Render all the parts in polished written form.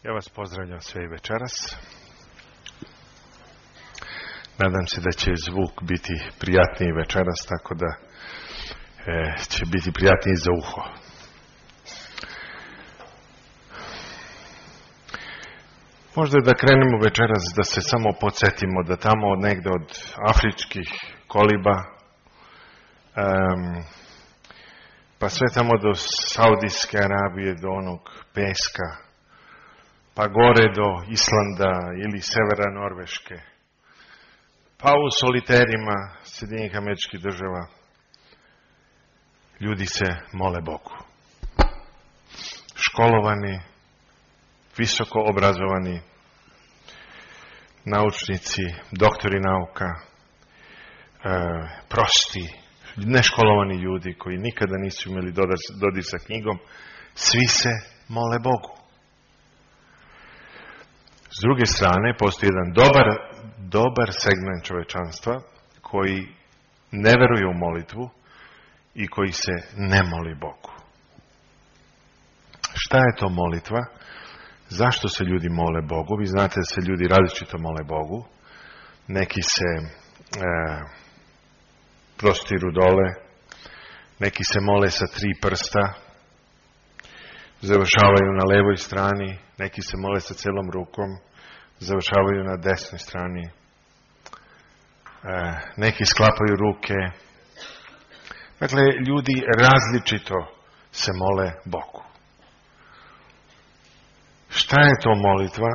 Ja vas pozdravljam sve i večeras. Nadam se da će zvuk biti prijatniji večeras, tako da će biti prijatniji za uho. Možda da krenemo večeras da se samo podsjetimo da tamo negde od afričkih koliba, pa sve tamo do Saudijske Arabije, do onog peska, pa gore do Islanda ili severa Norveške, pa u soliterima Sjedinjenih Američkih Država, ljudi se mole Bogu. Školovani, visoko obrazovani, naučnici, doktori nauka, prosti, neškolovani ljudi koji nikada nisu imali dodir sa knjigom, svi se mole Bogu. S druge strane, postoji jedan dobar segment čovečanstva koji ne veruje u molitvu i koji se ne moli Bogu. Šta je to molitva? Zašto se ljudi mole Bogu? Vi znate da se ljudi različito mole Bogu. Neki se prostiru dole, neki se mole sa 3 prsta, završavaju na levoj strani, neki se mole sa celom rukom, završavaju na desnoj strani, neki sklapaju ruke. Dakle, ljudi različito se mole Bogu. Šta je to molitva?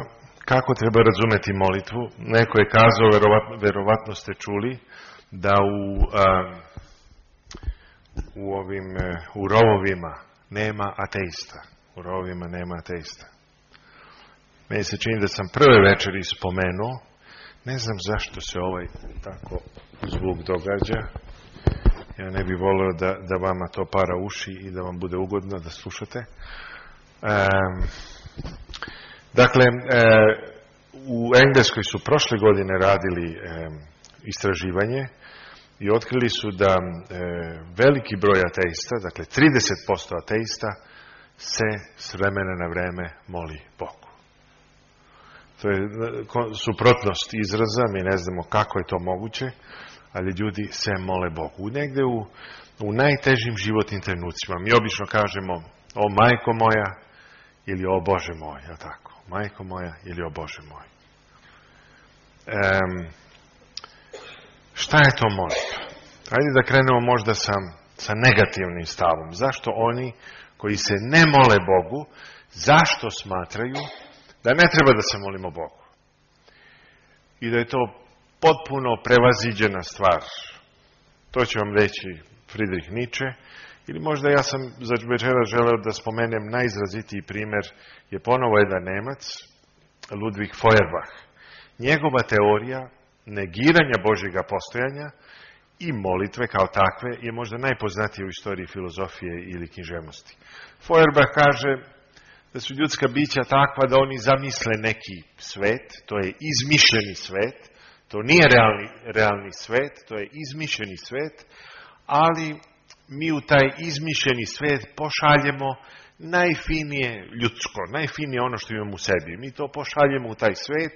Kako treba razumeti molitvu? Neko je kazao, verovatno ste čuli, da u rovovima nema ateista. U rovovima nema ateista. Meni se čini da sam prve večeri spomenuo, ne znam zašto se ovaj tako zvuk događa. Ja ne bih volio da vama to para uši i da vam bude ugodno da slušate. Dakle, u Engleskoj su prošle godine radili istraživanje i otkrili su da veliki broj ateista, dakle 30% ateista, se s vremena na vreme moli Bogu. To je suprotnost izraza, mi ne znamo kako je to moguće, ali ljudi se mole Bogu. Negde u najtežim životnim trenucima. Mi obično kažemo, o majko moja, ili o Bože moj, je tako? Majko moja ili o Bože moj. Šta je to molitva? Hajde da krenemo možda sa negativnim stavom. Zašto oni koji se ne mole Bogu, zašto smatraju da ne treba da se molimo Bogu? I da je to potpuno prevaziđena stvar. To će vam reći Friedrich Nietzsche. Ili možda ja sam za večera želeo da spomenem najizrazitiji primjer je ponovo jedan Nemac, Ludwig Feuerbach. Njegova teorija negiranja Božjega postojanja i molitve kao takve je možda najpoznatija u istoriji filozofije ili književnosti. Feuerbach kaže da su ljudska bića takva da oni zamisle neki svet, to je izmišljeni svet, to nije realni svet, to je izmišljeni svet, ali mi u taj izmišljeni svet pošaljemo najfinije ljudsko, najfinije ono što imamo u sebi. Mi to pošaljemo u taj svet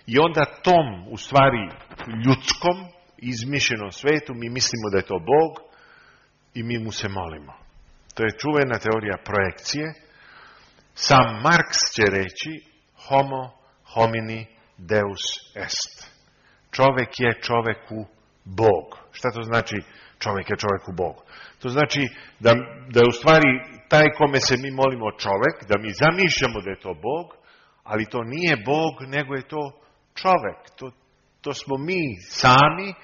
i onda tom, u stvari ljudskom, izmišljenom svetu, mi mislimo da je to Bog i mi mu se molimo. To je čuvena teorija projekcije. Sam Marks će reći homo homini deus est. Čovek je čoveku Bog. Šta to znači čovek je čoveku Bog? To znači da u stvari taj kome se mi molimo čovek, da mi zamišljamo da je to Bog, ali to nije Bog, nego je to čovek. To smo mi sami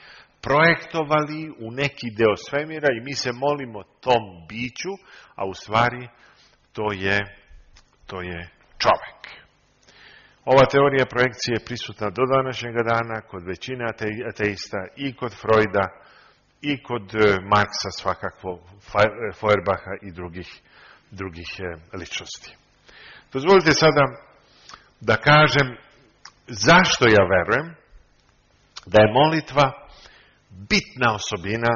projektovali u neki deo svemira i mi se molimo tom biću, a u stvari to je čovek. Ova teorija projekcije je prisutna do današnjega dana kod većine ateista i kod Freuda i kod Marksa svakako, Feuerbacha i drugih ličnosti. Dozvolite sada da kažem zašto ja verujem da je molitva bitna osobina,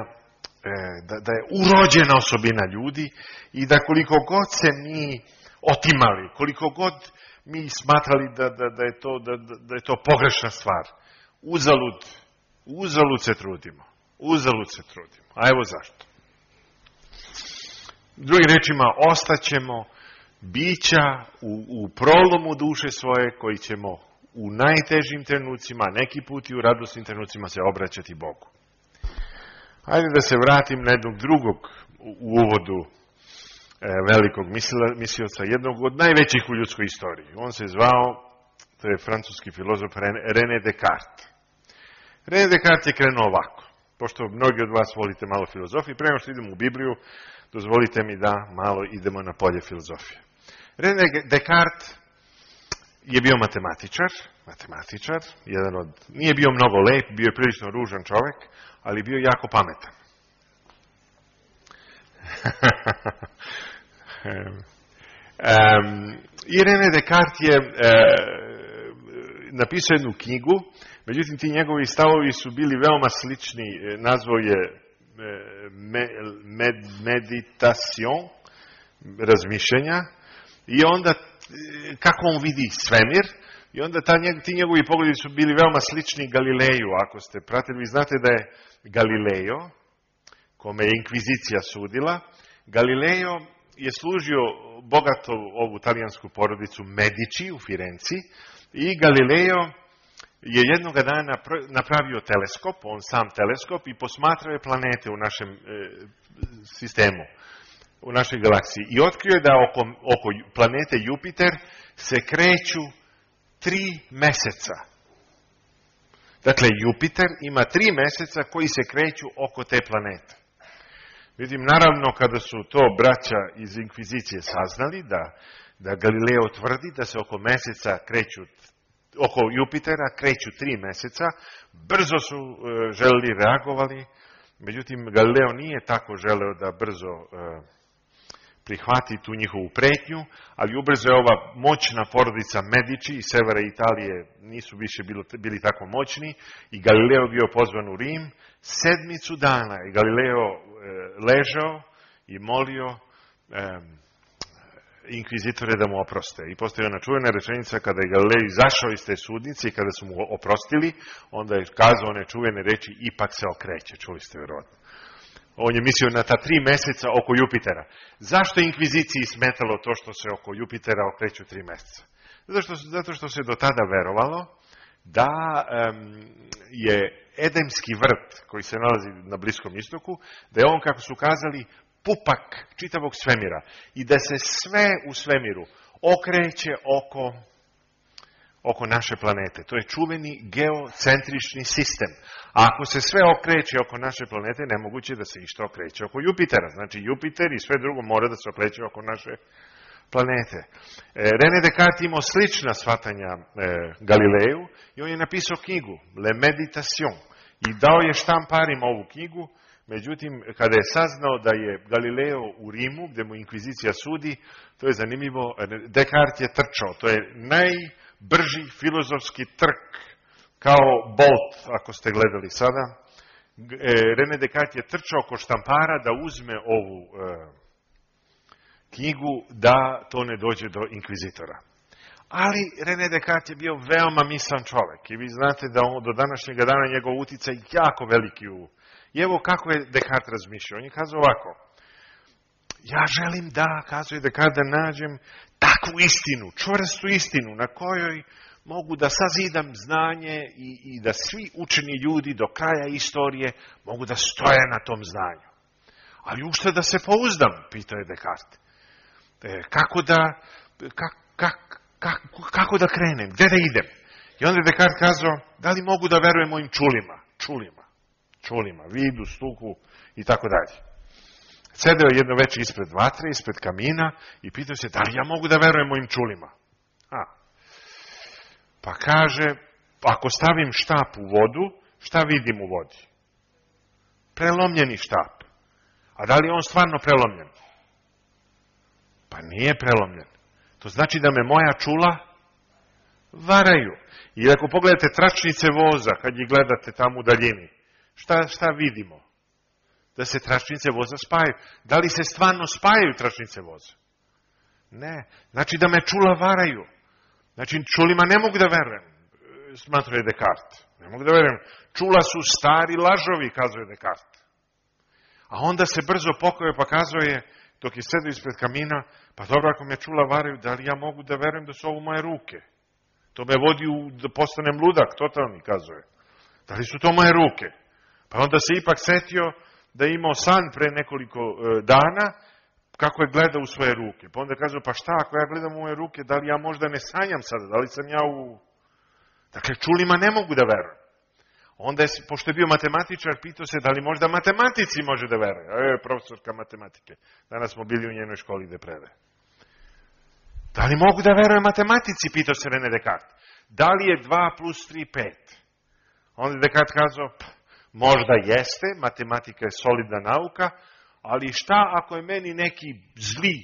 da je urođena osobina ljudi i da koliko god se mi otimali, koliko god mi smatrali da je to pogrešna stvar. Uzalud se trudimo. A evo zašto. Drugim rečima, ostaćemo bića u prolomu duše svoje koji ćemo u najtežim trenucima, neki put i u radosnim trenucima se obraćati Bogu. Hajde da se vratim na jednog drugog u uvodu velikog mislioca, jednog od najvećih u ljudskoj istoriji. On se zvao, to je francuski filozof René Descartes. René Descartes je krenuo ovako. Pošto mnogi od vas volite malo filozofije, prema što idemo u Bibliju, dozvolite mi da malo idemo na polje filozofije. René Descartes je bio matematičar, nije bio mnogo lep, bio je prilično ružan čovjek, ali bio jako pametan. I René Descartes je napisao jednu knjigu, međutim ti njegovi stavovi su bili veoma slični, nazvao je meditation, razmišljanja, i onda kako on vidi svemir, i onda ti njegovi pogledi su bili veoma slični Galileju. Ako ste pratili, vi znate da je Galileo, kome je inkvizicija sudila, Galileo je služio bogatu ovu talijansku porodicu Medici u Firenci, i Galileo je jednoga dana napravio teleskop, on sam teleskop, i posmatrao je planete u našem sistemu, u našoj galaksiji. I otkrio je da oko planete Jupiter se kreću 3 meseca. Dakle, Jupiter ima 3 meseca koji se kreću oko te planete. Vidim, naravno, kada su to braća iz inkvizicije saznali, da Galileo tvrdi da se oko Jupitera kreću 3 meseca, brzo su reagovali, međutim, Galileo nije tako želeo da brzo prihvati tu njihovu pretnju, ali ubrzo je ova moćna porodica Medici iz severa Italije nisu više bili tako moćni, i Galileo bio pozvan u Rim. 7 dana je Galileo ležao i molio inkvizitore da mu oproste. I postoji ona čuvena rečenica, kada je Galileo izašao iz te sudnice i kada su mu oprostili, onda je kazao one čuvene reči, ipak se okreće. Čuli ste vjerojatno. On je mislio na ta 3 meseca oko Jupitera. Zašto je inkviziciji smetalo to što se oko Jupitera okreću 3 meseca? Zato što se do tada verovalo da je Edemski vrt, koji se nalazi na Bliskom istoku, da je on, kako su kazali, pupak čitavog svemira i da se sve u svemiru okreće oko naše planete. To je čuveni geocentrični sistem. A ako se sve okreće oko naše planete, nemoguće da se išta okreće oko Jupitera. Znači, Jupiter i sve drugo mora da se okreće oko naše planete. René Descartes imao slična shvatanja Galileju i on je napisao knjigu Le Meditation i dao je štamparima ovu knjigu. Međutim, kada je saznao da je Galileo u Rimu, gde mu inkvizicija sudi, to je zanimljivo, Descartes je trčao. To je najbrži filozofski trk, kao Bolt, ako ste gledali sada. René Descartes je trčao oko štampara da uzme ovu knjigu, da to ne dođe do inkvizitora. Ali René Descartes je bio veoma mislan čovek i vi znate da do današnjega dana njegov uticaj jako veliki I evo kako je Descartes razmišljao. On je kazao ovako: ja želim kazuje Descartes, da nađem takvu istinu, čvrstu istinu na kojoj mogu da sazidam znanje i da svi učeni ljudi do kraja istorije mogu da stoje na tom znanju. Ali ušte da se pouzdam, pitao je Descartes. Kako da krenem? Gde da idem? I onda je Descartes kazao, da li mogu da verujem mojim čulima, vidu, sluhu i tako dalje. Sedeo jedno veče ispred vatre, ispred kamina i pitao se, da li ja mogu da verujem mojim čulima? Pa kaže, ako stavim štap u vodu, šta vidim u vodi? Prelomljeni štap. A da li je on stvarno prelomljen? Pa nije prelomljen. To znači da me moja čula varaju. I ako pogledate tračnice voza, kad ih gledate tamo u daljini, šta vidimo? Da se tračnice voza spajaju. Da li se stvarno spajaju tračnice voza? Ne. Znači da me čula varaju. Znači, čulima ne mogu da verujem, smatruje Descartes. Ne mogu da verujem. Čula su stari lažovi, kazuje Descartes. A onda se brzo pokajao pa kazuje, dok je sedio ispred kamina, pa dobro, ako me čula varaju, da li ja mogu da verujem da su ovo moje ruke? To me vodi da postanem ludak, totalni, kazuje. Da li su to moje ruke? Pa onda se ipak setio da je imao san pre nekoliko dana, kako je gledao u svoje ruke. Pa onda kazao, pa šta, ako ja gledam u moje ruke, da li ja možda ne sanjam sada, da li sam ja u... Dakle, čulima ne mogu da verujem. Onda je, pošto je bio matematičar, pitao se da li možda matematici može da veruje. Profesorka matematike. Danas smo bili u njenoj školi gde predaje. Da li mogu da veruje matematici, pitao se René Descartes. Da li je 2 plus 3 5? Onda je Descartes kazao, možda jeste, matematika je solidna nauka, ali šta ako je meni neki zli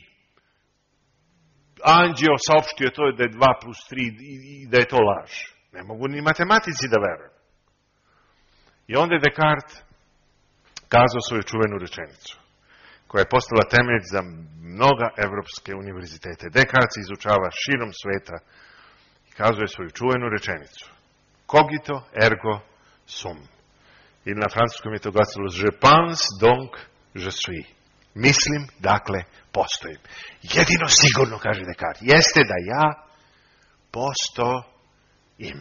anđeo saopštio to da je 2 plus 3 i da je to laž? Ne mogu ni matematici da verujem. I onda je Descartes kazao svoju čuvenu rečenicu, koja je postala temelj za mnoga evropske univerzitete. Descartes izučava širom sveta i kazuje svoju čuvenu rečenicu. Cogito ergo sum. Ili na francuskom je to glasilo je pense donc je suis. Mislim, dakle, postojim. Jedino sigurno, kaže Descartes, jeste da ja postojim.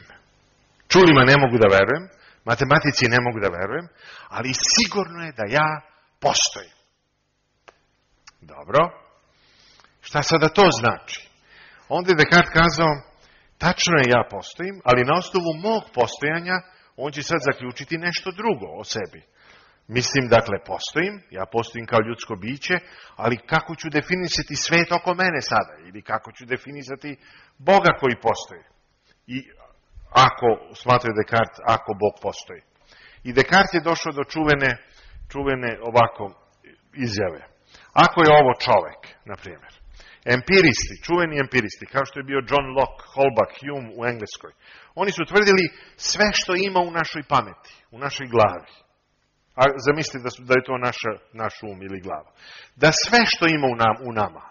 Čulima ne mogu da verujem, matematici ne mogu da verujem, ali sigurno je da ja postojim. Dobro. Šta sada to znači? Onda je Descartes kazao, tačno je ja postojim, ali na osnovu mog postojanja on će sad zaključiti nešto drugo o sebi. Mislim, dakle, postojim, ja postojim kao ljudsko biće, ali kako ću definisati svet oko mene sada? Ili kako ću definisati Boga koji postoji? I ako, smatraju Descartes, ako Bog postoji. I Descartes je došao do čuvene ovako izjave. Ako je ovo čovek, na primjer, empiristi, čuveni empiristi, kao što je bio John Locke, Holbach, Hume u Engleskoj, oni su tvrdili sve što ima u našoj pameti, u našoj glavi. A zamislite da je to naš um ili glava. Da sve što ima u nama,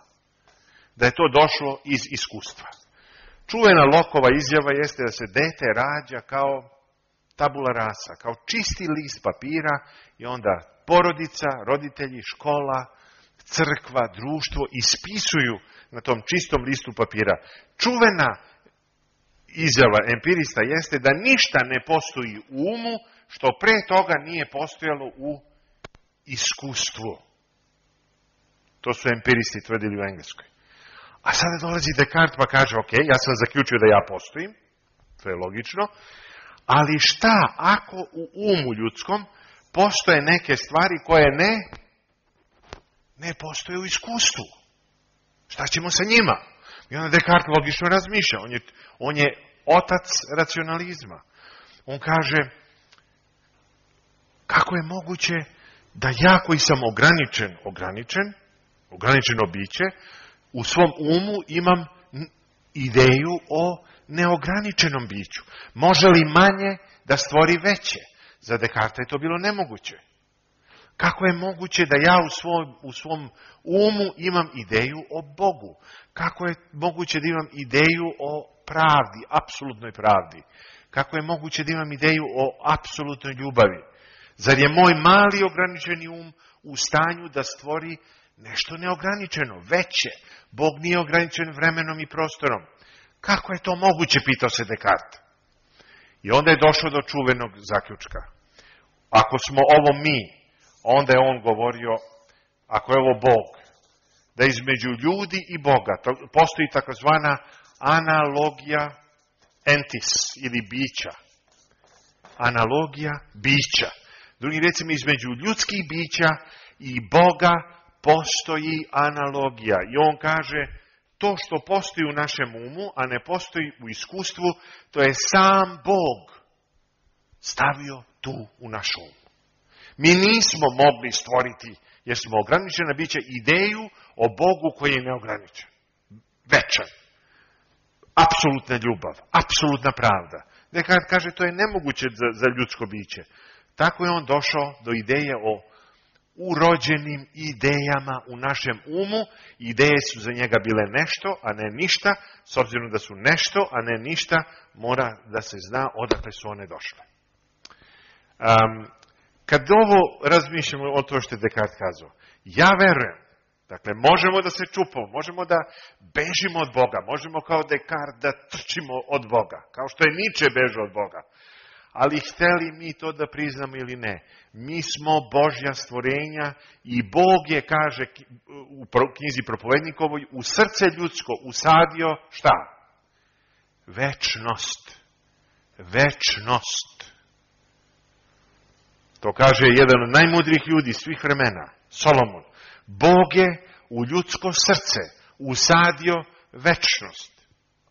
da je to došlo iz iskustva. Čuvena Lockeova izjava jeste da se dete rađa kao tabula rasa, kao čisti list papira i onda porodica, roditelji, škola, crkva, društvo ispisuju na tom čistom listu papira. Čuvena izjava empirista jeste da ništa ne postoji u umu što pre toga nije postojalo u iskustvu. To su empiristi tvrdili u Engleskoj. A sada dolazi Descartes pa kaže, ok, ja sam zaključio da ja postojim, to je logično, ali šta ako u umu ljudskom postoje neke stvari koje ne postoje u iskustvu? Šta ćemo sa njima? I onda Descartes logično razmišlja, on je otac racionalizma. On kaže, kako je moguće da ja koji sam ograničeno biće, u svom umu imam ideju o neograničenom biću. Može li manje da stvori veće? Za Descartesa je to bilo nemoguće. Kako je moguće da ja u svom umu imam ideju o Bogu? Kako je moguće da imam ideju o pravdi, apsolutnoj pravdi? Kako je moguće da imam ideju o apsolutnoj ljubavi? Zar je moj mali ograničeni um u stanju da stvori nešto neograničeno, veće? Bog nije ograničen vremenom i prostorom. Kako je to moguće, pitao se Descartes. I onda je došao do čuvenog zaključka. Ako smo ovo mi, onda je on govorio, ako je ovo Bog, da između ljudi i Boga postoji takozvana analogija entis ili bića. Analogija bića. Drugim recimo, između ljudskih bića i Boga postoji analogija. I on kaže, to što postoji u našem umu, a ne postoji u iskustvu, to je sam Bog stavio tu u naš um. Mi nismo mogli stvoriti, jer smo ograničena bića, ideju o Bogu koji je neograničen. Večan. Apsolutna ljubav. Apsolutna pravda. Descartes kaže, to je nemoguće za ljudsko biće. Tako je on došao do ideje o urođenim idejama u našem umu. Ideje su za njega bile nešto, a ne ništa. S obzirom da su nešto, a ne ništa, mora da se zna odakle su one došle. Kad ovo razmišljamo o to što je Descartes kazao, ja verujem, dakle, možemo da se čupamo, možemo da bežimo od Boga, možemo kao Descartes da trčimo od Boga, kao što je Nietzsche bežao od Boga. Ali hteli mi to da priznamo ili ne, mi smo Božja stvorenja i Bog je, kaže u knjizi Propovednikovoj, u srce ljudsko usadio šta? Večnost. Večnost. To kaže jedan od najmudrijih ljudi svih vremena, Solomon. Bog je u ljudsko srce usadio večnost.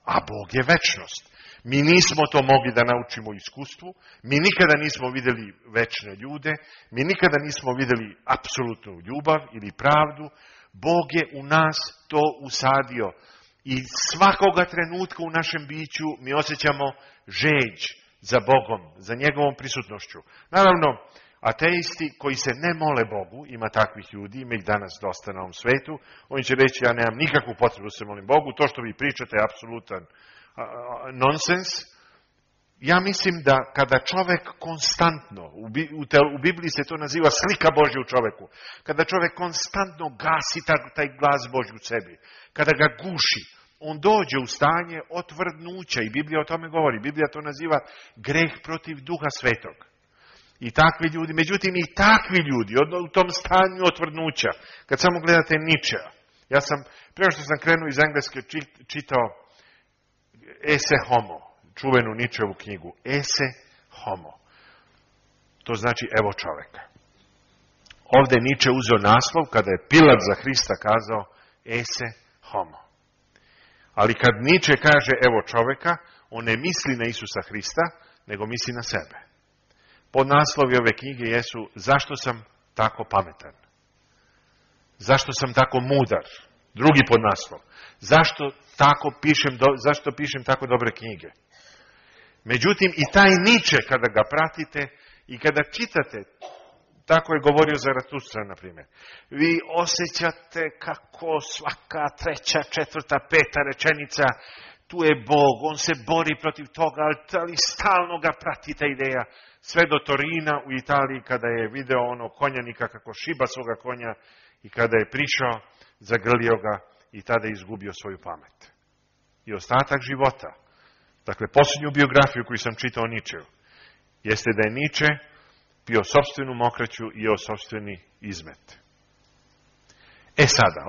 A Bog je večnost. Mi nismo to mogli da naučimo u iskustvu, mi nikada nismo vidjeli večne ljude, mi nikada nismo vidjeli apsolutnu ljubav ili pravdu. Bog je u nas to usadio i svakoga trenutka u našem biću mi osjećamo žeđ za Bogom, za njegovom prisutnošću. Naravno, ateisti koji se ne mole Bogu, ima takvih ljudi, ima ih danas dosta na ovom svetu, oni će reći ja nemam nikakvu potrebu da se molim Bogu, to što vi pričate je apsolutan nonsens. Ja mislim da kada čovek konstantno, u Bibliji se to naziva slika Božja u čoveku, kada čovek konstantno gasi taj glas Božji u sebi, kada ga guši, on dođe u stanje otvrdnuća i Biblija o tome govori. Biblija to naziva greh protiv Duha Svetog. I takvi ljudi, međutim i takvi ljudi u tom stanju otvrdnuća, kad samo gledate Nietzschea, ja sam, prema što sam krenuo iz engleske, čitao Esse Homo, čuvenu Nietzscheovu knjigu, Esse Homo. To znači evo čoveka. Ovdje Nietzsche uzeo naslov kada je Pilat za Hrista kazao Esse Homo. Ali kad Nietzsche kaže evo čoveka, on ne misli na Isusa Hrista, nego misli na sebe. Podnaslovi ove knjige jesu zašto sam tako pametan? Zašto sam tako mudar? Drugi podnaslov. Zašto pišem tako dobre knjige? Međutim, i taj Nietzsche, kada ga pratite i kada čitate, tako je govorio Zaratustra, na primjer, vi osjećate kako svaka treća, četvrta, peta rečenica, tu je Bog, on se bori protiv toga, ali stalno ga prati ta ideja. Sve do Torina u Italiji, kada je video ono konjanika kako šiba svoga konja i kada je prišao, zagrlio ga i tada je izgubio svoju pamet. I ostatak života, dakle, posljednju biografiju koju sam čitao Nietzscheu, jeste da je Nietzsche pio sopstvenu mokraću i jeo sopstveni izmet. Sada,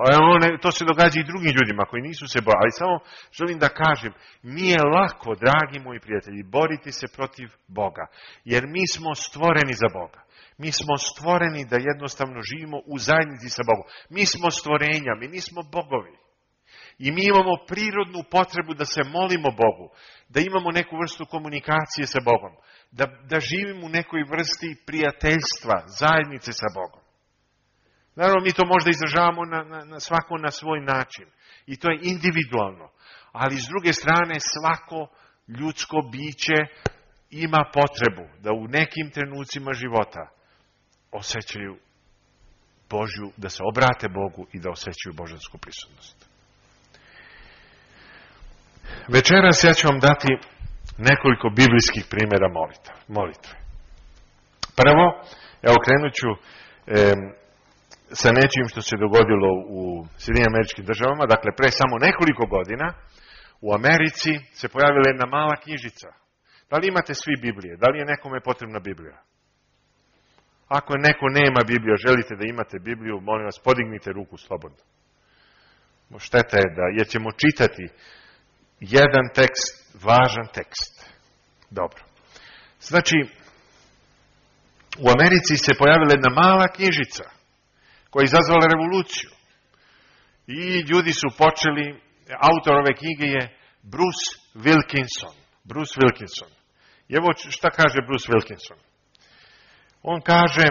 to se događa i drugim ljudima koji nisu se borili, ali samo želim da kažem, nije lako, dragi moji prijatelji, boriti se protiv Boga, jer mi smo stvoreni za Boga. Mi smo stvoreni da jednostavno živimo u zajednici sa Bogom. Mi smo stvorenja, mi nismo bogovi. I mi imamo prirodnu potrebu da se molimo Bogu, da imamo neku vrstu komunikacije sa Bogom, da živimo u nekoj vrsti prijateljstva, zajednice sa Bogom. Naravno, mi to možda izražavamo svako na svoj način. I to je individualno. Ali s druge strane, svako ljudsko biće ima potrebu da u nekim trenucima života osjećaju Božju, da se obrate Bogu i da osjećaju božansku prisutnost. Večeras ja ću vam dati nekoliko biblijskih primjera molitve. Prvo, evo krenut ću sa nečim što se dogodilo u Sjedinjenim Američkim Državama. Dakle, pre samo nekoliko godina u Americi se pojavila jedna mala knjižica. Da li imate svi Biblije? Da li je nekome potrebna Biblija? Ako neko nema Bibliju, želite da imate Bibliju, molim vas, podignite ruku slobodno. Šteta je jer ćemo čitati jedan tekst, važan tekst. Dobro. Znači, u Americi se pojavila jedna mala knjižica koja je izazvala revoluciju. I ljudi su počeli, autor ove knjige je Bruce Wilkinson. Bruce Wilkinson. I evo šta kaže Bruce Wilkinson. On kaže,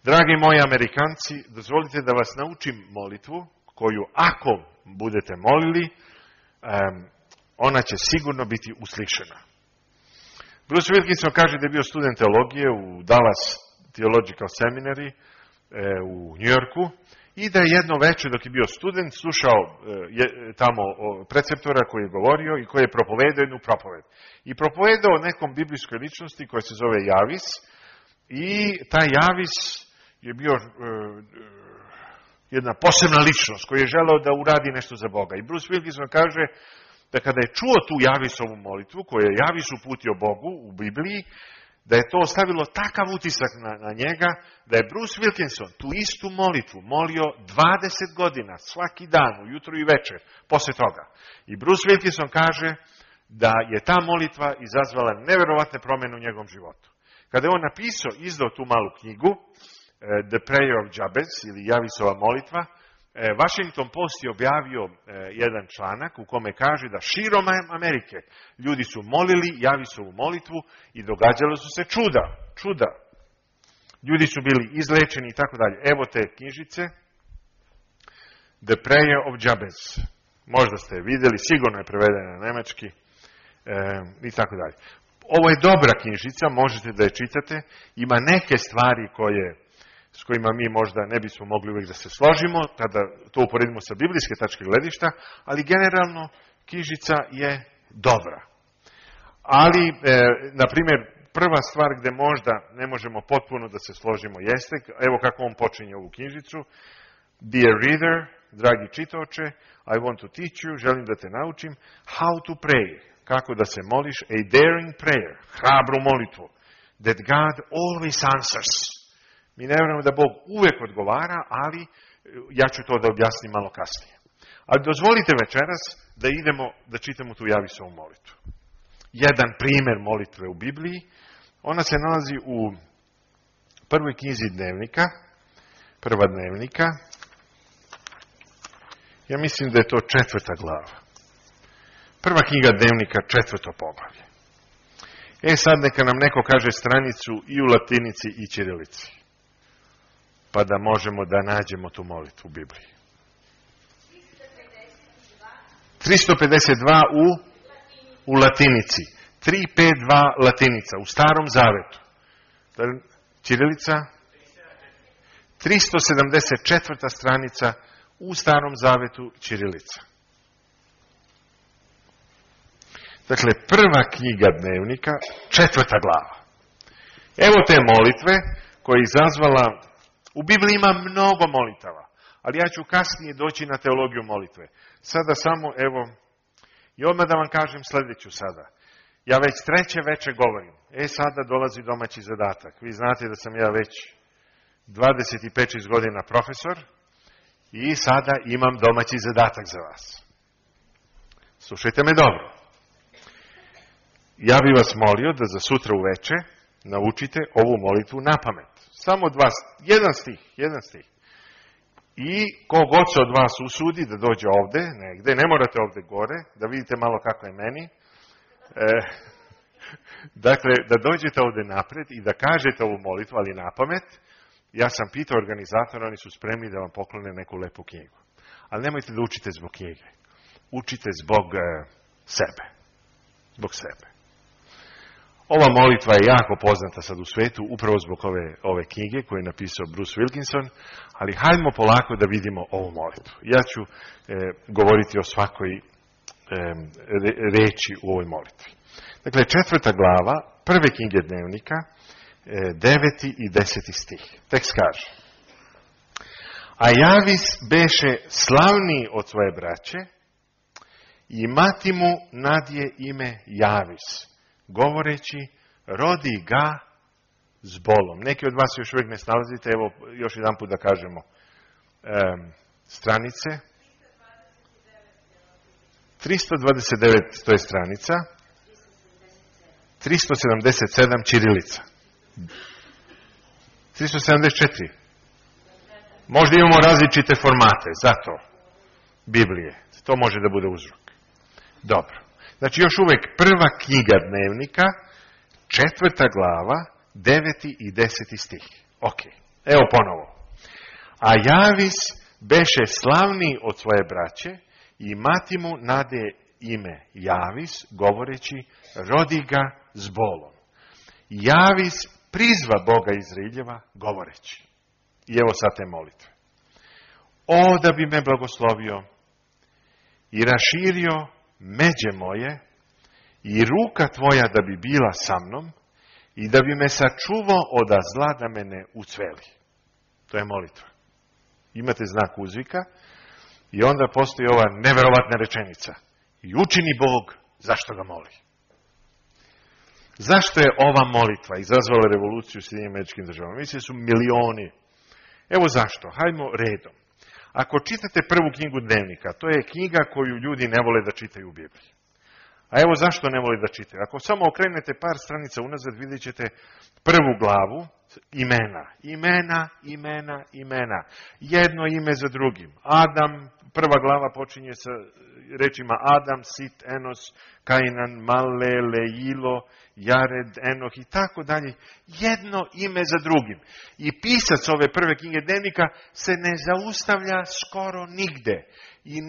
dragi moji Amerikanci, dozvolite da vas naučim molitvu koju ako budete molili, ona će sigurno biti uslišena. Bruce Wilkinson kaže da je bio student teologije u Dallas Theological Seminary u Njujorku i da je jedno večer dok je bio student slušao tamo preceptora koji je govorio i koji je propovedao jednu propoved. I propovedao o nekom biblijskoj ličnosti koja se zove Javis i taj Javis je bio jedna posebna ličnost koji je želeo da uradi nešto za Boga. I Bruce Wilkinson kaže da kada je čuo tu Javisovu molitvu koju je Javis uputio Bogu u Bibliji, da je to ostavilo takav utisak na njega, da je Bruce Wilkinson tu istu molitvu molio 20 godina, svaki dan, ujutro i večer, posle toga. I Bruce Wilkinson kaže da je ta molitva izazvala neverovatne promjene u njegovom životu. Kada je on izdao tu malu knjigu, The Prayer of Jabez, ili Javisova molitva, Washington Post je objavio jedan članak u kome kaže da širom Amerike ljudi su molili Javisovu molitvu i događalo su se čuda. Ljudi su bili izlečeni i tako dalje. Evo te knjižice, The Prayer of Jabez. Možda ste je vidjeli, sigurno je prevedena na nemački i tako dalje. Ovo je dobra knjižica, možete da je čitate. Ima neke stvari s kojima mi možda ne bismo mogli uvijek da se složimo, kada to uporedimo sa biblijske tačke gledišta, ali generalno knjižica je dobra. Ali, na primjer, prva stvar gdje možda ne možemo potpuno da se složimo jeste, evo kako on počinje ovu knjižicu: Dear reader, dragi čitaoče, I want to teach you, želim da te naučim, how to pray, kako da se moliš, a daring prayer, hrabru molitvu, that God always answers. Mi ne vjerujemo da Bog uvijek odgovara, ali ja ću to da objasnim malo kasnije. Ali dozvolite večeras da idemo da čitamo tu Javisovu molitvu. Jedan primjer molitve u Bibliji, ona se nalazi u prvoj knjizi Dnevnika, prva Dnevnika. Ja mislim da je to 4. glava. Prva knjiga Dnevnika, 4. poglavlje. Sad neka nam neko kaže stranicu i u latinici i ćirilici, pa da možemo da nađemo tu molitvu u Bibliji. 352 u latinici. 352 latinica u Starom Zavetu. Ćirilica? 374. stranica u Starom Zavetu, ćirilica. Dakle, prva knjiga Dnevnika, 4. glava. Evo te molitve koja je izazvala. U Bibliji ima mnogo molitava, ali ja ću kasnije doći na teologiju molitve. Sada samo, evo, i odmah da vam kažem sljedeću sada. Ja već 3. večer govorim. Sada dolazi domaći zadatak. Vi znate da sam ja već 25 godina profesor i sada imam domaći zadatak za vas. Slušajte me dobro. Ja bih vas molio da za sutra uveče naučite ovu molitvu na pamet. Samo jedan stih. I kogod se od vas usudi da dođe ovde, negde, ne morate ovde gore, da vidite malo kako je meni. Dakle, da dođete ovde napred i da kažete ovu molitvu, ali na pamet. Ja sam pitao organizatora, oni su spremni da vam poklone neku lepu knjigu. Ali nemojte da učite zbog knjige. Učite zbog sebe. Zbog sebe. Ova molitva je jako poznata sad u svetu, upravo zbog ove knjige koju je napisao Bruce Wilkinson, ali hajdemo polako da vidimo ovu molitvu. Ja ću govoriti o svakoj reči u ovoj molitvi. Dakle, 4. glava, prve knjige Dnevnika, 9. i 10. stih. Tekst kaže: A Javis beše slavniji od svoje braće i mati mu nadje ime Javis, govoreći, rodi ga s bolom. Neki od vas još uvijek ne snalazite, evo još jedan put da kažemo stranice. 329 to je stranica, 377 ćirilica, 374. Možda imamo različite formate, zato Biblije. To može da bude uzrok. Dobro. Znači još uvijek prva knjiga Dnevnika, 4. glava, 9. i 10. stih. Ok, evo ponovo. A Javis beše slavniji od svoje braće i mati mu nade ime Javis, govoreći, rodi ga s bolom. Javis prizva Boga Izraeljeva, govoreći. I evo sad te molitve. O, da bi me blagoslovio i raširio međe moje i ruka tvoja da bi bila sa mnom i da bi me sačuvao od zla da me ne ucveli. To je molitva. Imate znak uzvika i onda postoji ova neverovatna rečenica. I učini Bog zašto ga moli. Zašto je ova molitva izazvala revoluciju u Sjedinjenim Američkim Državama? Mislim su milioni. Evo zašto. Hajdemo redom. Ako čitate prvu knjigu Dnevnika, to je knjiga koju ljudi ne vole da čitaju u Bibliji. A evo zašto ne vole da čitaju. Ako samo okrenete par stranica unazad, vidjet ćete prvu glavu, imena. Jedno ime za drugim. Adam, prva glava počinje sa rečima Adam, Sit, Enos, Kainan, Male, Leilo, Jared, Enoh i tako dalje. Jedno ime za drugim. I pisac ove prve knjige Dnevnika se ne zaustavlja skoro nigde i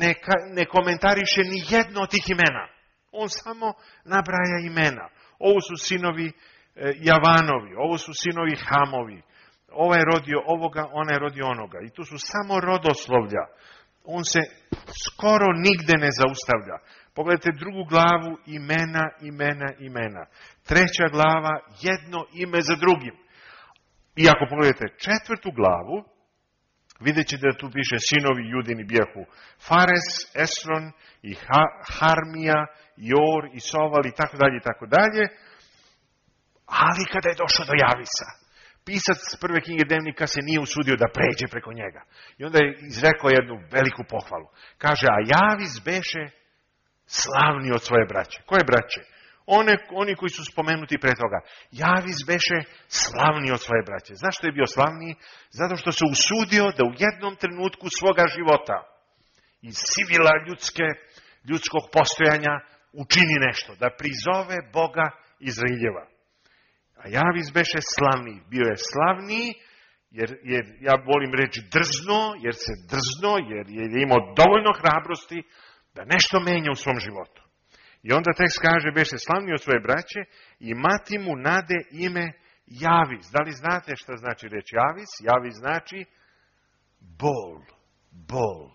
ne komentariše ni jedno od tih imena. On samo nabraja imena. Ovo su sinovi Javanovi, ovo su sinovi Hamovi, ovaj je rodio ovoga, ona je rodio onoga. I tu su samo rodoslovlja. On se skoro nigde ne zaustavlja. Pogledajte drugu glavu, imena. Treća glava, jedno ime za drugim. I ako pogledajte četvrtu glavu, vidjet ćete da tu piše sinovi Judini bijahu Fares, Esron i Harmija, Jor i Soval i tako dalje. Ali kada je došao do Javisa, pisac prve knjige Dnevnika se nije usudio da pređe preko njega. I onda je izrekao jednu veliku pohvalu. Kaže, a Javis beše slavni od svoje braće. Koje braće? Oni koji su spomenuti pre toga. Javis beše slavni od svoje braće. Zašto je bio slavniji? Zato što se usudio da u jednom trenutku svoga života iz sivila ljudskog postojanja učini nešto. Da prizove Boga Izraeljeva. A Javis beše slavniji. Bio je slavniji jer ja volim reći drzno, jer se drzno, jer je imao dovoljno hrabrosti da nešto menja u svom životu. I onda tekst kaže, beše slavniji od svoje braće i mati mu nade ime Javis. Da li znate šta znači reč Javis? Javis znači bol.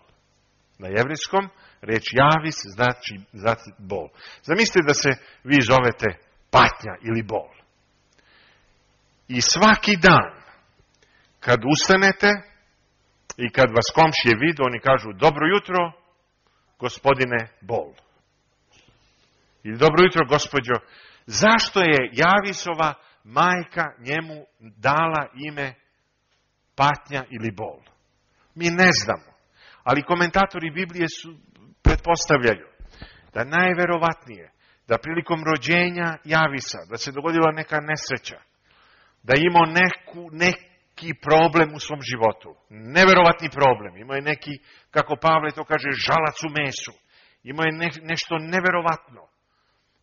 Na jevrijskom reč Javis znači bol. Zamislite da se vi zovete patnja ili bol. I svaki dan, kad ustanete i kad vas komšije vide, oni kažu, dobro jutro, gospodine bol. Ili dobro jutro, gospođo. Zašto je Javisova majka njemu dala ime patnja ili bol? Mi ne znamo. Ali komentatori Biblije pretpostavljaju da najverovatnije, da prilikom rođenja Javisa, da se dogodila neka nesreća, da je imao neki problem u svom životu. Neverovatni problem. Imao je neki, kako Pavle to kaže, žalac u mesu. Imao je nešto neverovatno.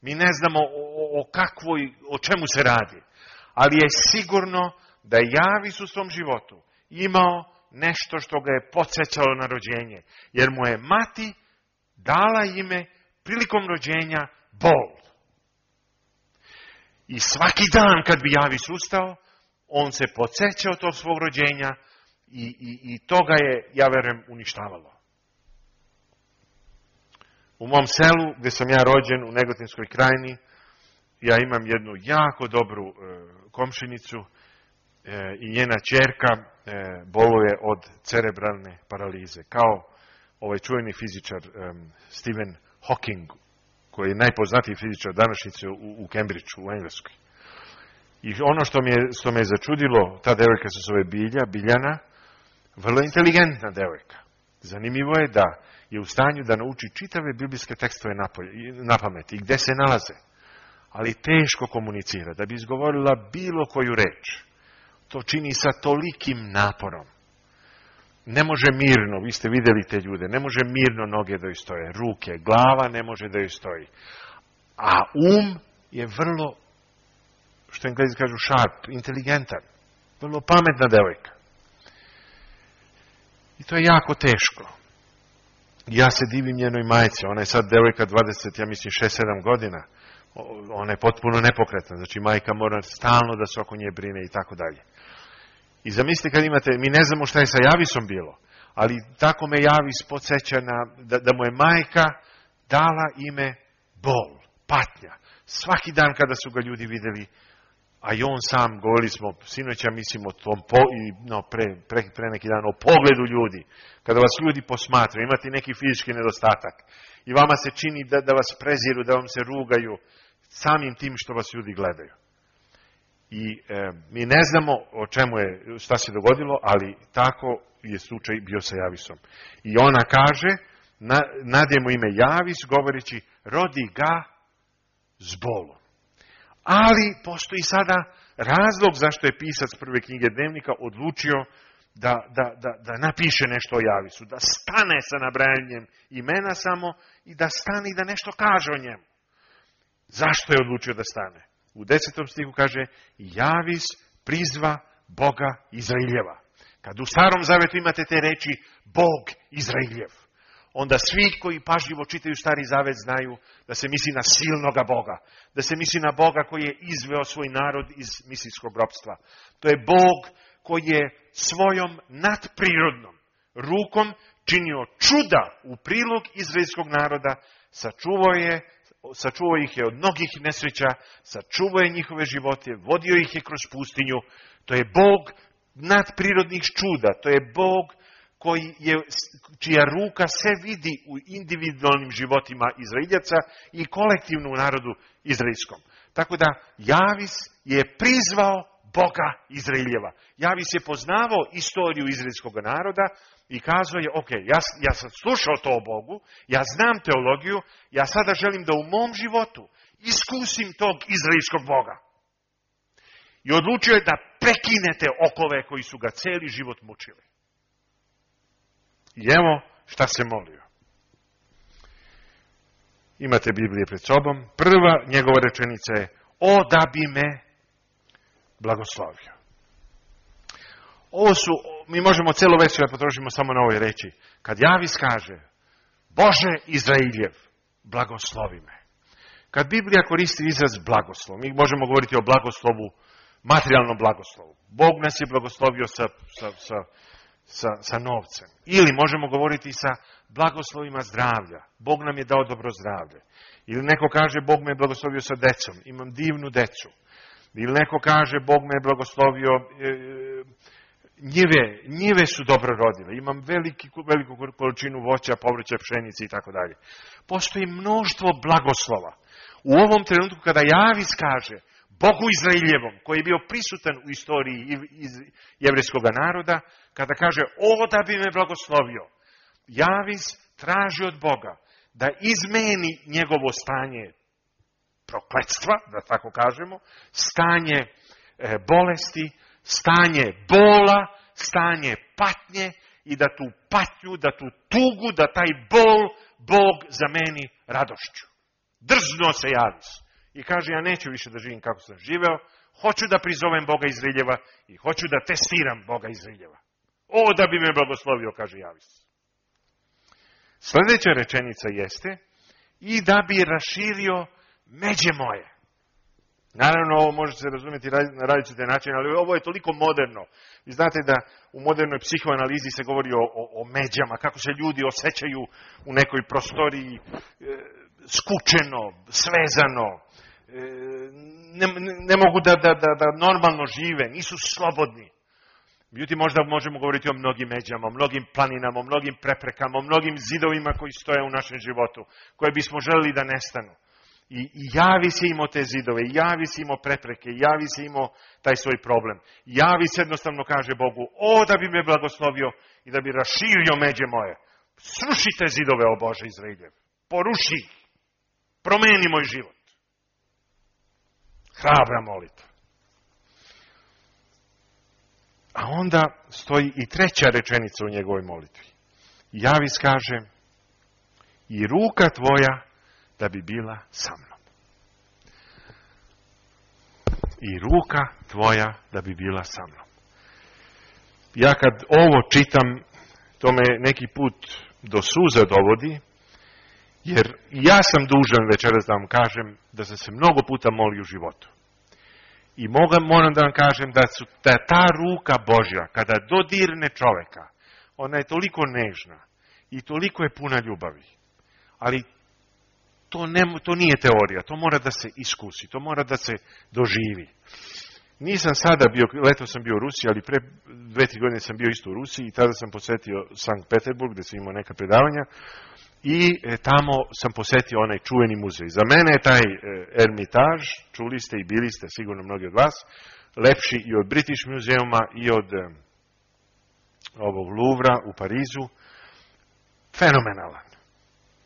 Mi ne znamo o čemu se radi. Ali je sigurno da je Javis u svom životu imao nešto što ga je podsjećalo na rođenje. Jer mu je mati dala ime prilikom rođenja bol. I svaki dan kad bi Javis ustao, on se podsjećao tog svog rođenja i to ga je, ja verujem, uništavalo. U mom selu, gdje sam ja rođen, u Negotinskoj krajini, ja imam jednu jako dobru komšinicu i njena ćerka boluje od cerebralne paralize. Kao ovaj čuveni fizičar Stephen Hawking, koji je najpoznatiji fizičar današnjice u Cambridgeu, u Engleskoj. I ono što me je začudilo, ta devojka se zove Biljana, vrlo inteligentna devojka. Zanimljivo je da je u stanju da nauči čitave biblijske tekstove na pamet i gde se nalaze. Ali teško komunicira. Da bi izgovorila bilo koju reč, to čini sa tolikim naporom. Ne može mirno, vi ste vidjeli te ljude, ne može mirno noge da joj stoje, ruke, glava ne može da joj stoji. A je vrlo, što Englezi kažu sharp, inteligentan, vrlo pametna devojka. I to je jako teško. Ja se divim njenoj majci, ona je sad devojka 20, ja mislim 6-7 godina. Ona je potpuno nepokretna, znači majka mora stalno da se oko nje brine i tako dalje. I zamislite kad imate, mi ne znamo šta je sa Javisom bilo, ali tako me Javis podsjeća da mu je majka dala ime bol, patnja. Svaki dan kada su ga ljudi vidjeli, a i on sam, govorili smo, sinoća mislimo o tom, pre neki dan, o pogledu ljudi. Kada vas ljudi posmatraju, imate neki fizički nedostatak i vama se čini da vas preziru, da vam se rugaju, samim tim što vas ljudi gledaju. I mi ne znamo o čemu je, šta se dogodilo, ali tako je slučaj bio sa Javisom. I ona kaže, nadje mu ime Javis, govoreći, rodi ga s bolom. Ali postoji sada razlog zašto je pisac prve knjige Dnevnika odlučio da napiše nešto o Javisu, da stane sa nabrajanjem imena samo i da stane i da nešto kaže o njemu. Zašto je odlučio da stane? U 10. stihu kaže, Javis prizva Boga Izraeljeva. Kad u Starom Zavetu imate te reči Bog Izraeljev, onda svi koji pažljivo čitaju Stari Zavet znaju da se misli na silnoga Boga, da se misli na Boga koji je izveo svoj narod iz misijskog ropstva. To je Bog koji je svojom nadprirodnom rukom činio čuda u prilog izraelskog naroda, sačuvao ih je od mnogih nesreća, sačuvao je njihove živote, vodio ih je kroz pustinju. To je Bog nadprirodnih čuda, to je Bog čija ruka se vidi u individualnim životima Izraeljaca i kolektivno u narodu izraelskom. Tako da Javis je prizvao Boga Izraeljeva. Javis je poznavao istoriju izraelskog naroda i kazao je, ok, ja sam slušao to o Bogu, ja znam teologiju, ja sada želim da u mom životu iskusim tog izraelskog Boga. I odlučio je da prekinete okove koji su ga cijeli život mučili. I evo šta se molio. Imate Biblije pred sobom. Prva njegova rečenica je, o da bi me blagoslovio. Mi možemo cijelo večer da potrošimo samo na ovoj reči. Kad Javis kaže, Bože Izraeljev, blagoslovi me. Kad Biblija koristi izraz blagoslov, mi možemo govoriti o blagoslovu, materijalnom blagoslovu. Bog nas je blagoslovio sa novcem. Ili možemo govoriti sa blagoslovima zdravlja. Bog nam je dao dobro zdravlje. Ili neko kaže, Bog me je blagoslovio sa decom. Imam divnu decu. Ili neko kaže, Bog me je blagoslovio, njive su dobro rodile. Imam veliku količinu voća, povrća, pšenice i tako dalje. Postoji mnoštvo blagoslova. U ovom trenutku kada Javis kaže Bogu Izraeljevom, koji je bio prisutan u istoriji jevrejskog naroda, kada kaže, o da bi me blagoslovio, Javis traži od Boga da izmeni njegovo stanje prokletstva, da tako kažemo, stanje bolesti, stanje bola, stanje patnje i da tu patnju, da tu tugu, da taj bol Bog zameni radošću. Drznuo se Javis i kaže, ja neću više da živim kako sam živeo, hoću da prizovem Boga Izraeljeva i hoću da testiram Boga Izraeljeva. O, da bi me blagoslovio, kaže Javis. Sljedeća rečenica jeste, i da bi raširio međe moje. Naravno, ovo može se razumjeti na različite načine, ali ovo je toliko moderno. Vi znate da u modernoj psihoanalizi se govori o međama, kako se ljudi osjećaju u nekoj prostoriji skučeno, svezano, ne mogu da normalno žive, nisu slobodni. Međutim, možda možemo govoriti o mnogim međama, o mnogim planinama, o mnogim preprekama, o mnogim zidovima koji stoje u našem životu, koje bismo želeli da nestanu. I Javis je imao te zidove, Javis je imao prepreke, Javis je imao taj svoj problem. Javis jednostavno kaže Bogu, o da bi me blagoslovio i da bi raširio međe moje. Srušite zidove, o Bože Izraeljev. Poruši ih. Promeni moj život. Hrabra molitva. A onda stoji i treća rečenica u njegovoj molitvi. Javis kaže, i ruka tvoja da bi bila sa mnom. I ruka tvoja da bi bila sa mnom. Ja kad ovo čitam, to me neki put do suza dovodi, jer ja sam dužan večeras da vam kažem da sam se mnogo puta molio u životu. I moram da vam kažem da ta ruka Božja, kada dodirne čoveka, ona je toliko nežna i toliko je puna ljubavi. Ali to nije teorija, to mora da se iskusi, to mora da se doživi. Nisam sada bio, leto sam bio u Rusiji, ali pre 2-3 godine sam bio isto u Rusiji i tada sam posetio Sankt Peterburg, gde sam imao neka predavanja i tamo sam posetio onaj čuveni muzej. Za mene je taj Ermitaž, čuli ste i bili ste sigurno mnogi od vas, lepši i od British Museuma i od ovog Louvra u Parizu. Fenomenalan.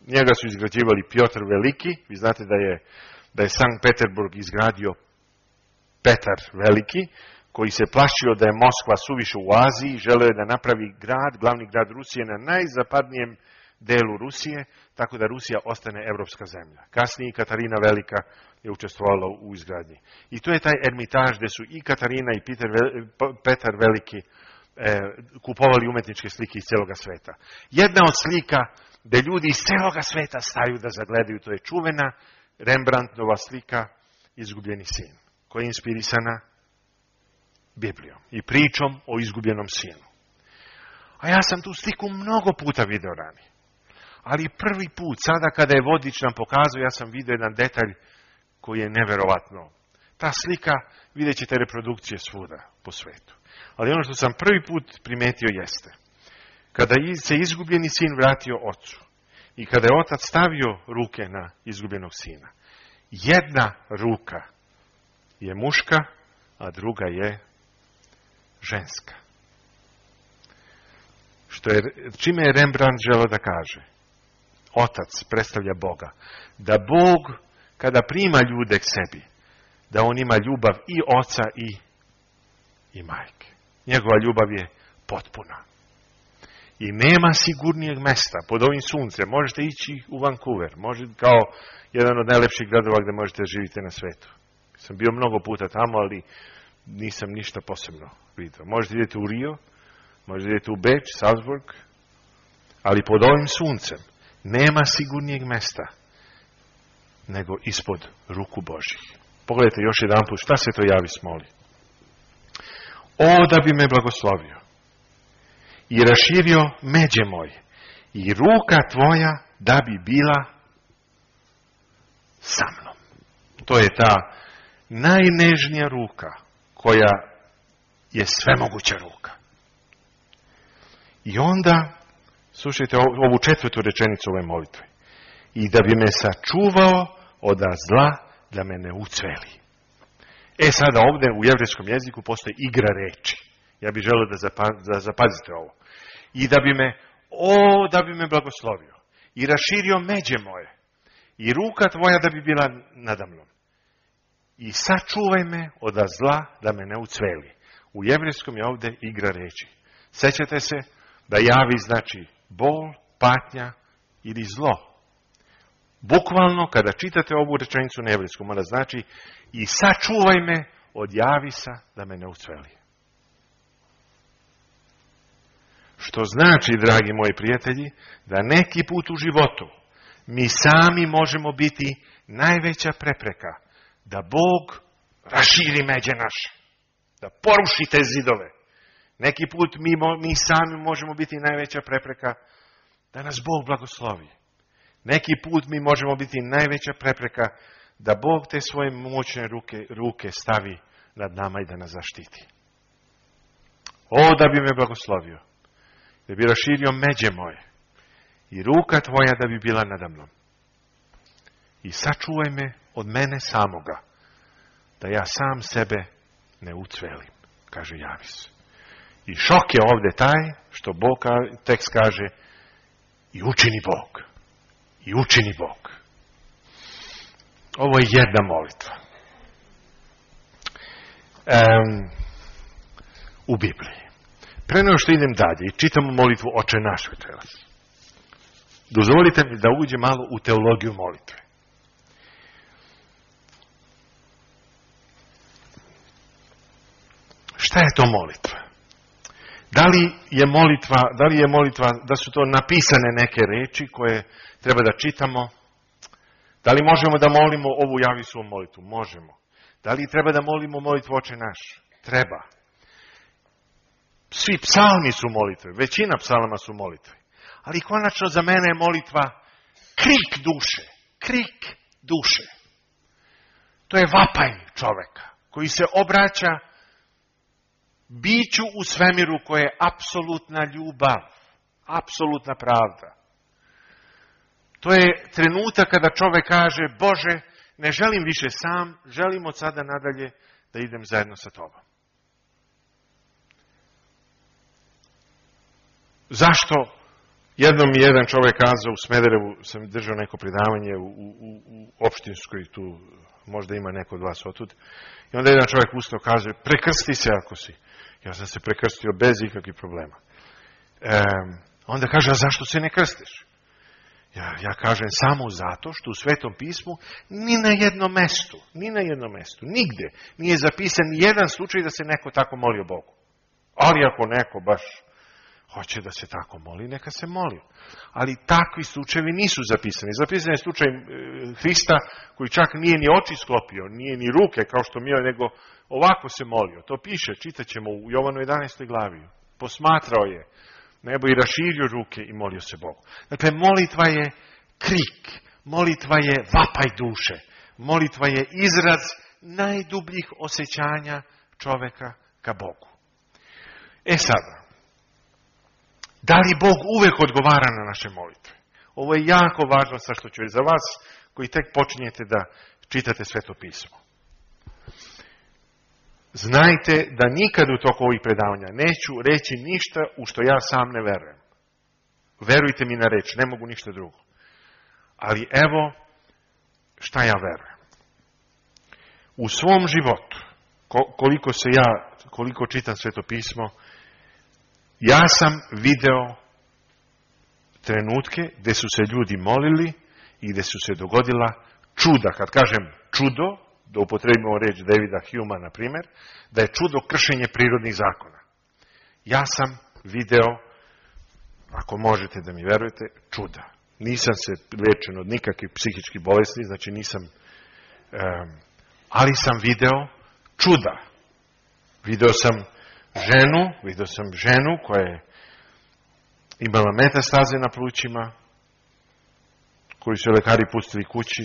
Njega su izgrađivali Piotr Veliki. Vi znate da je Sankt Peterburg izgradio Petar Veliki, koji se plašio da je Moskva suviše u Aziji, želeo je da napravi glavni grad Rusije na najzapadnijem delu Rusije, tako da Rusija ostane evropska zemlja. Kasnije Katarina Velika je učestvovala u izgradnji. I to je taj Ermitaž gde su i Katarina i Petar Veliki kupovali umetničke slike iz celoga sveta. Jedna od slika gde ljudi iz celoga sveta staju da zagledaju, to je čuvena Rembrandtova slika Izgubljeni sin, koja je inspirisana Biblijom i pričom o izgubljenom sinu. A ja sam tu sliku mnogo puta video ranije. Ali prvi put, sada kada je vodič nam pokazao, ja sam video jedan detalj koji je neverovatno. Ta slika, vidjet ćete reprodukcije svuda po svetu. Ali ono što sam prvi put primetio jeste, kada se izgubljeni sin vratio ocu i kada je otac stavio ruke na izgubljenog sina, jedna ruka je muška, a druga je ženska. Čime je Rembrandt želeo da kaže? Otac predstavlja Boga. Da Bog, kada prima ljude k sebi, da on ima ljubav i oca i majke. Njegova ljubav je potpuna. I nema sigurnijeg mesta pod ovim suncem. Možete ići u Vancouver, kao jedan od najlepših gradova gde možete živjeti na svetu. Sam bio mnogo puta tamo, ali nisam ništa posebno vidio. Možete idete u Rio, možete idete u Beč, Salzburg, ali pod ovim suncem nema sigurnijeg mesta nego ispod ruku Božih. Pogledajte još jedan put, šta se to Javis moli? O, da bi me blagoslovio i raširio međe moje i ruka tvoja da bi bila sa mnom. To je ta najnežnija ruka koja je svemoguća ruka. I onda, slušajte ovu 4. rečenicu ove molitve. I da bi me sačuvao od zla da me ne ucveli. Sada ovdje u jevrejskom jeziku postoji igra reči. Ja bih želeo da zapazite ovo. I da bi me blagoslovio i raširio međe moje i ruka tvoja da bi bila nada mnom. I sačuvaj me od zla da me ne ucveli. U jevrejskom je ovdje igra reči. Sećate se da javi znači bol, patnja ili zlo. Bukvalno, kada čitate ovu rečenicu na jevrejskom, ona znači i sačuvaj me od javisa da me ne ucveli. Što znači, dragi moji prijatelji, da neki put u životu mi sami možemo biti najveća prepreka da Bog raširi međe naše, da poruši te zidove. Neki put mi sami možemo biti najveća prepreka da nas Bog blagoslovi. Neki put mi možemo biti najveća prepreka da Bog te svoje moćne ruke stavi nad nama i da nas zaštiti. O, da bi me blagoslovio, da bi raširio međe moje i ruka tvoja da bi bila nada mnom. I sačuvaj me od mene samoga, da ja sam sebe ne ucvelim, kaže Javis. I šok je ovdje taj što Bog tekst kaže i učini Bog. I učini Bog. Ovo je jedna molitva. U Bibliji. Pre nego što idem dalje i čitamo molitvu Oče naš večeras, dozvolite mi da uđem malo u teologiju molitve. Šta je to molitva? Da li je molitva, da su to napisane neke reči koje treba da čitamo? Da li možemo da molimo ovu Javisovu molitvu? Možemo. Da li treba da molimo molitvu Oče naš? Treba. Svi psalmi su molitve, većina psalama su molitve. Ali konačno za mene je molitva krik duše. Krik duše. To je vapaj čoveka koji se obraća biću u svemiru koje je apsolutna ljubav, apsolutna pravda. To je trenutak kada čovek kaže, Bože, ne želim više sam, želim od sada nadalje da idem zajedno sa Tobom. Zašto? Jednom mi jedan čovjek kazao, u Smederevu sam držao neko predavanje u opštinskoj, tu možda ima neko od vas otud, i onda jedan čovjek ustao kaže, prekrsti se ako si. Ja sam se prekrstio bez ikakvih problema. Onda kaže, a zašto se ne krstiš? Ja kažem, samo zato što u Svetom pismu ni na jednom mestu, nigde nije zapisan jedan slučaj da se neko tako molio Bogu. Ali ako neko baš hoće da se tako moli, neka se moli. Ali takvi slučajevi nisu zapisani. Zapisan je slučaj Hrista koji čak nije ni oči sklopio, nije ni ruke kao što mi, nego ovako se molio. To piše, čitat ćemo u Jovanu 11. glavi. Posmatrao je nebo i raširio ruke i molio se Bogu. Dakle, molitva je krik, molitva je vapaj duše, molitva je izraz najdubljih osjećanja čoveka ka Bogu. Sada, da li Bog uvek odgovara na naše molitve? Ovo je jako važno sa što ću za vas koji tek počinjete da čitate Sveto pismo. Znajte da nikad u toku ovih predavanja neću reći ništa u što ja sam ne verujem. Verujte mi na reč, ne mogu ništa drugo. Ali evo šta ja verujem. U svom životu, koliko čitam Sveto pismo, ja sam video trenutke gdje su se ljudi molili i gdje su se dogodila čuda. Kad kažem čudo, da upotrebimo reč Davida Humea, na primjer, da je čudo kršenje prirodnih zakona. Ja sam video, ako možete da mi verujete, čuda. Nisam se liječen od nikakvih psihičkih bolesti, znači nisam, ali sam video čuda. Video sam ženu koja je imala metastaze na plućima, koju su lekari pustili kući.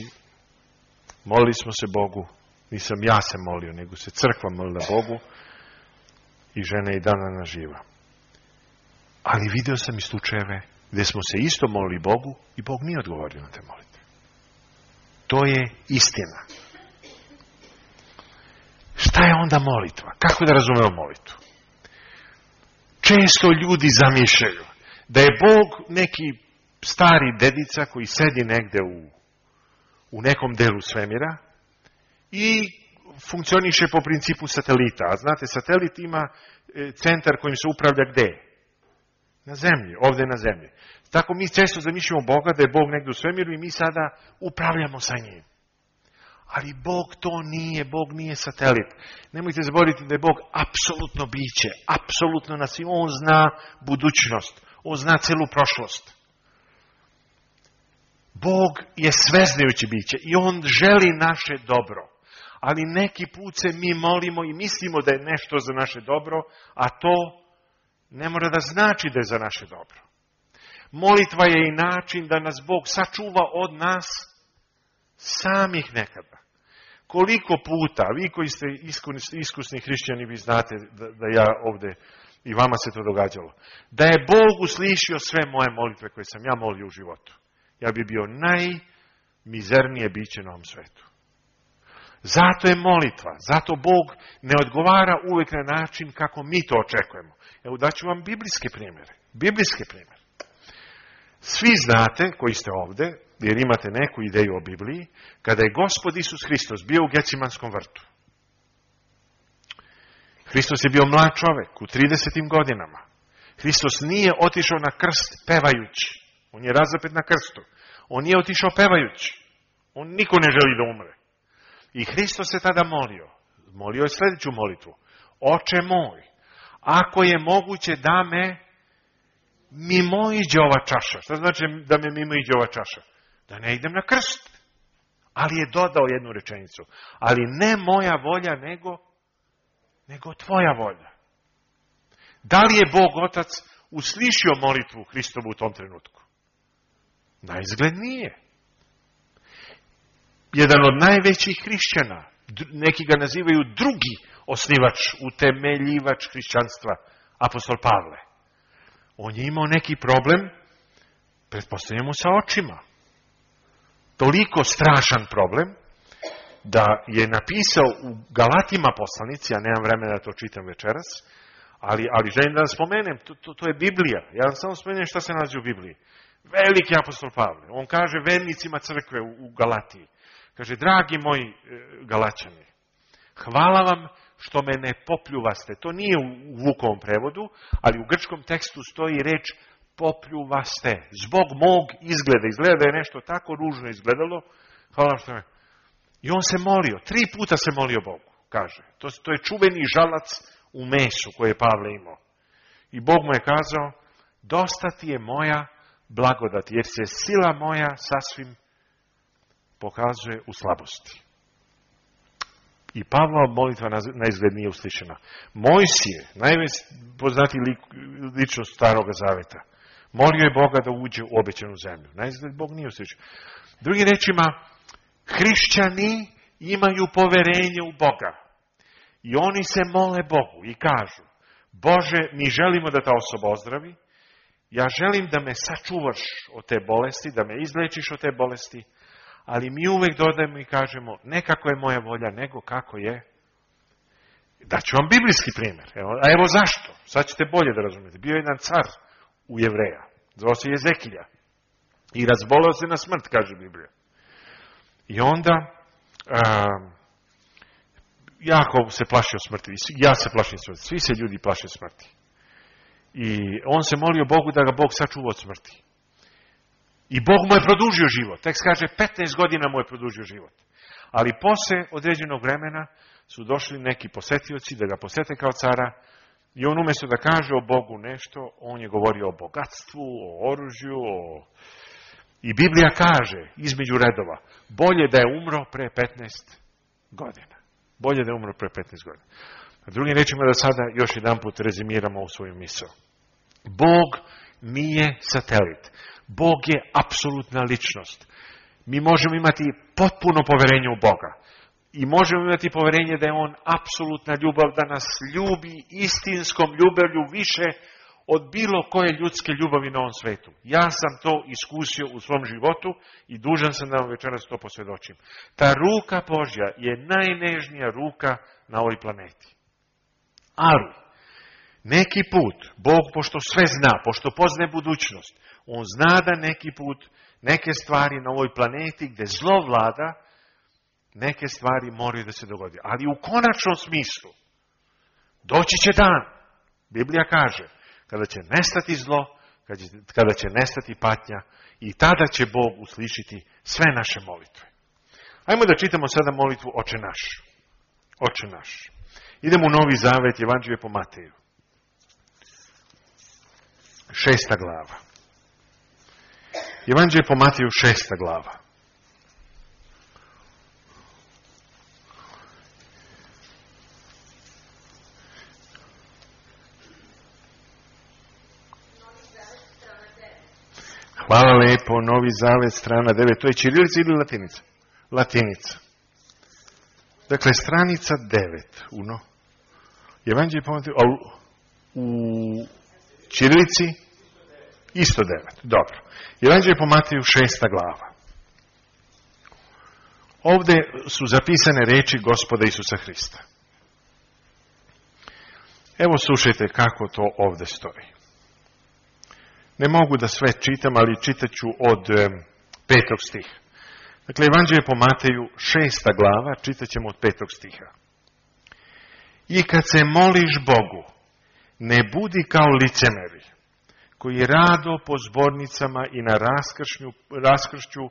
Molili smo se Bogu, nisam ja se molio, nego se crkva molila Bogu i žena je i dana živa. Ali video sam i slučajeve gdje smo se isto molili Bogu i Bog nije odgovorio na te molitve. To je istina. Šta je onda molitva? Kako da razumemo molitvu? Često ljudi zamišljaju da je Bog neki stari dedica koji sedi negde u nekom delu svemira i funkcioniše po principu satelita. A znate, satelit ima centar kojim se upravlja gde? Na zemlji, ovdje na zemlji. Tako mi često zamišljamo Boga da je Bog negde u svemiru i mi sada upravljamo sa njim. Ali Bog to nije, Bog nije satelit. Nemojte zaboraviti da je Bog apsolutno biće, apsolutno nas i on zna budućnost, on zna celu prošlost. Bog je sveznajući biće i on želi naše dobro. Ali neki put se mi molimo i mislimo da je nešto za naše dobro, a to ne mora da znači da je za naše dobro. Molitva je i način da nas Bog sačuva od nas samih nekada. Koliko puta, vi koji ste iskusni hrišćani, vi znate da ja ovdje, i vama se to događalo, da je Bog uslišio sve moje molitve koje sam ja molio u životu. Ja bi bio najmizernije biće na ovom svetu. Zato je molitva, zato Bog ne odgovara uvijek na način kako mi to očekujemo. Evo daću vam biblijske primjere. Svi znate, koji ste ovdje, jer imate neku ideju o Bibliji, kada je Gospod Isus Hristos bio u Gecimanskom vrtu. Hristos je bio mlad čovek u 30. godinama. Hristos nije otišao na krst pevajući. On je razapet na krstu. On nije otišao pevajući. On niko ne želi da umre. I Hristos se tada molio. Molio je sljedeću molitvu. Oče moj, ako je moguće da me mimoiđe ova čaša. Šta znači da me mimoiđe ova čaša? Da ne idem na krst. Ali je dodao jednu rečenicu. Ali ne moja volja, nego tvoja volja. Da li je Bog Otac uslišio molitvu Hristovu u tom trenutku? Naizgled nije. Jedan od najvećih hrišćana, neki ga nazivaju drugi osnivač, utemeljivač hrišćanstva, apostol Pavle. On je imao neki problem, pretpostavljamo, sa očima. Toliko strašan problem, da je napisao u Galatima poslanici, ja nemam vremena da to čitam večeras, ali želim da vam spomenem, to je Biblija. Ja vam samo spomenem šta se nalazi u Bibliji. Veliki apostol Pavle. On kaže vernicima crkve u Galatiji. Kaže, dragi moji Galaćani, hvala vam što me ne popljuvaste. To nije u Vukovom prevodu, ali u grčkom tekstu stoji reč popljuvaste. Zbog mog izgleda. Izgleda da je nešto tako ružno izgledalo. Hvala vam što me... I on se molio. 3 puta se molio Bogu, kaže. To je čuveni žalac u mesu koje je Pavle imao. I Bog mu je kazao, dosta ti je moja blagodat, jer se sila moja sasvim pokazuje u slabosti. I Pavlova molitva na izgled nije uslišena. Mojsije, najpoznatiji ličnost Staroga Zaveta, molio je Boga da uđe u obećanu zemlju. Na izgled Bog nije uslišen. Drugim rečima, hrišćani imaju poverenje u Boga. I oni se mole Bogu i kažu, Bože, mi želimo da ta osoba ozdravi, ja želim da me sačuvaš od te bolesti, da me izlečiš od te bolesti, ali mi uvek dodajemo i kažemo, ne kako je moja volja, nego kako je. Daću vam biblijski primjer. Evo zašto. Sad ćete bolje da razumijete. Bio je jedan car u Jevreja. Zvao se Jezekilja. I razboleo se na smrt, kaže Biblija. I onda jako se plašio smrti. Ja se plašim smrti. Svi se ljudi plaše smrti. I on se molio Bogu da ga Bog sačuva od smrti. I Bog mu je produžio život. Tekst kaže 15 godina mu je produžio život. Ali posle određenog vremena su došli neki posetioci da ga posete kao cara i on umjesto da kaže o Bogu nešto, on je govorio o bogatstvu, o oružju, I Biblija kaže između redova, bolje da je umro pre 15 godina. Bolje da je umro pre 15 godina. A drugim rečima da sada još jedan put rezimiramo u svoju misao. Bog nije satelit. Bog je apsolutna ličnost. Mi možemo imati potpuno poverenje u Boga. I možemo imati poverenje da je On apsolutna ljubav, da nas ljubi istinskom ljubavlju više od bilo koje ljudske ljubavi na ovom svetu. Ja sam to iskusio u svom životu i dužan sam da vam večeras to posvjedočim. Ta ruka Božja je najnežnija ruka na ovoj planeti. Ali, neki put, Bog, pošto sve zna, pošto poznaje budućnost, On zna da neki put, neke stvari na ovoj planeti gdje zlo vlada, neke stvari moraju da se dogodi. Ali u konačnom smislu, doći će dan, Biblija kaže, kada će nestati zlo, kada će nestati patnja i tada će Bog uslišiti sve naše molitve. Ajmo da čitamo sada molitvu Oče naš. Oče naš. Idemo u Novi Zavet, Evanđelje po Mateju. 6. glava. Evanđelje po Mateju, 6. glava. Hvala lepo, Novi Zavet, strana 9. To je ćirilica ili latinica? Latinica. Dakle, stranica 9. Evanđelje po Mateju, u ćirilici isto 9. Dobro. Evanđelje po Mateju, 6. glava. Ovdje su zapisane reči Gospoda Isusa Hrista. Evo slušajte kako to ovdje stoji. Ne mogu da sve čitam, ali čitat ću od 5. stiha. Dakle, Evanđelje po Mateju, 6. glava, čitat ćemo od 5. stiha. I kad se moliš Bogu, ne budi kao licemeri, koji rado po zbornicama i na raskršću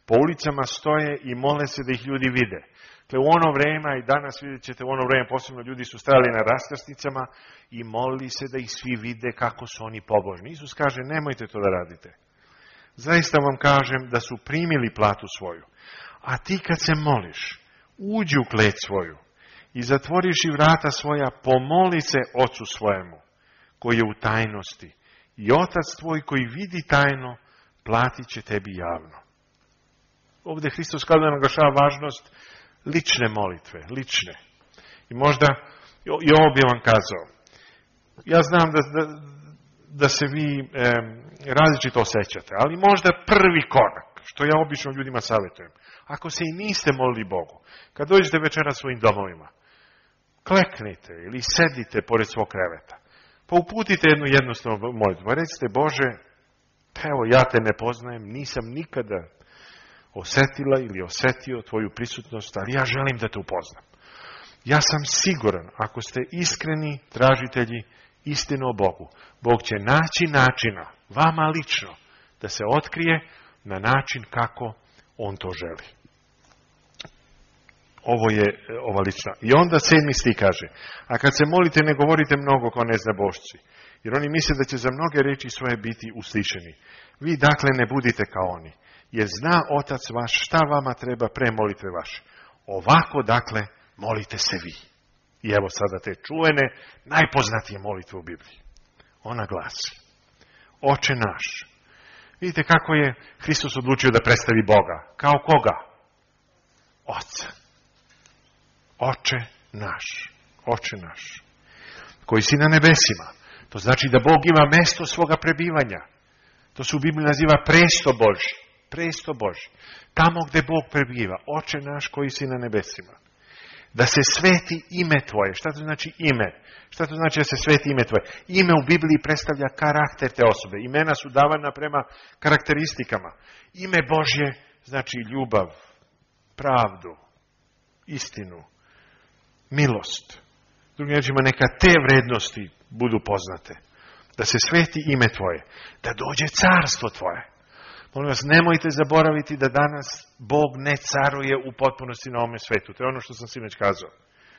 po ulicama stoje i mole se da ih ljudi vide. Dakle, u ono vreme, i danas vidjet ćete, u ono vreme posebno ljudi su stajali na raskrsnicama i molili se da ih svi vide kako su oni pobožni. Isus kaže, nemojte to da radite. Zaista vam kažem da su primili platu svoju. A ti kad se moliš, uđi u klet svoju i zatvoriš i vrata svoja, pomoli se Ocu svojemu, koji je u tajnosti. I Otac tvoj koji vidi tajno, platit će tebi javno. Ovdje Hristos kao da naglašava važnost lične molitve, lične. I možda, i ovo bi vam kazao, ja znam da se vi različito osjećate, ali možda prvi korak, što ja obično ljudima savjetujem, ako se i niste molili Bogu, kad dođete večera svojim domovima, kleknite ili sedite pored svog kreveta, pa uputite jednu jednostavnu molitvu. Recite, Bože, evo ja te ne poznajem, nisam nikada osjetila ili osjetio tvoju prisutnost, ali ja želim da te upoznam. Ja sam siguran, ako ste iskreni tražitelji istine o Bogu, Bog će naći načina, vama lično, da se otkrije na način kako on to želi. Ovo je ova lična. I onda 7. stih kaže, a kad se molite ne govorite mnogo kao neznabošci, jer oni misle da će za mnoge reči svoje biti uslišeni. Vi dakle ne budite kao oni, jer zna Otac vaš šta vama treba pre molitve vaše. Ovako dakle molite se vi. I evo sada te čuvene, najpoznatije molitve u Bibliji. Ona glasi, Oče naš. Vidite kako je Hristos odlučio da predstavi Boga. Kao koga? Oca. Oče naš. Oče naš. Koji si na nebesima. To znači da Bog ima mesto svoga prebivanja. To se u Bibliji naziva presto Božji. Presto Božji. Tamo gdje Bog prebiva. Oče naš koji si na nebesima. Da se sveti ime tvoje. Šta to znači ime? Šta to znači da se sveti ime tvoje? Ime u Bibliji predstavlja karakter te osobe. Imena su davana prema karakteristikama. Ime Božje znači ljubav, pravdu, istinu, milost. Drugim riječima, neka te vrednosti budu poznate. Da se sveti ime tvoje. Da dođe carstvo tvoje. Molim vas, nemojte zaboraviti da danas Bog ne caruje u potpunosti na ovome svetu. To je ono što sam sinoć kazao.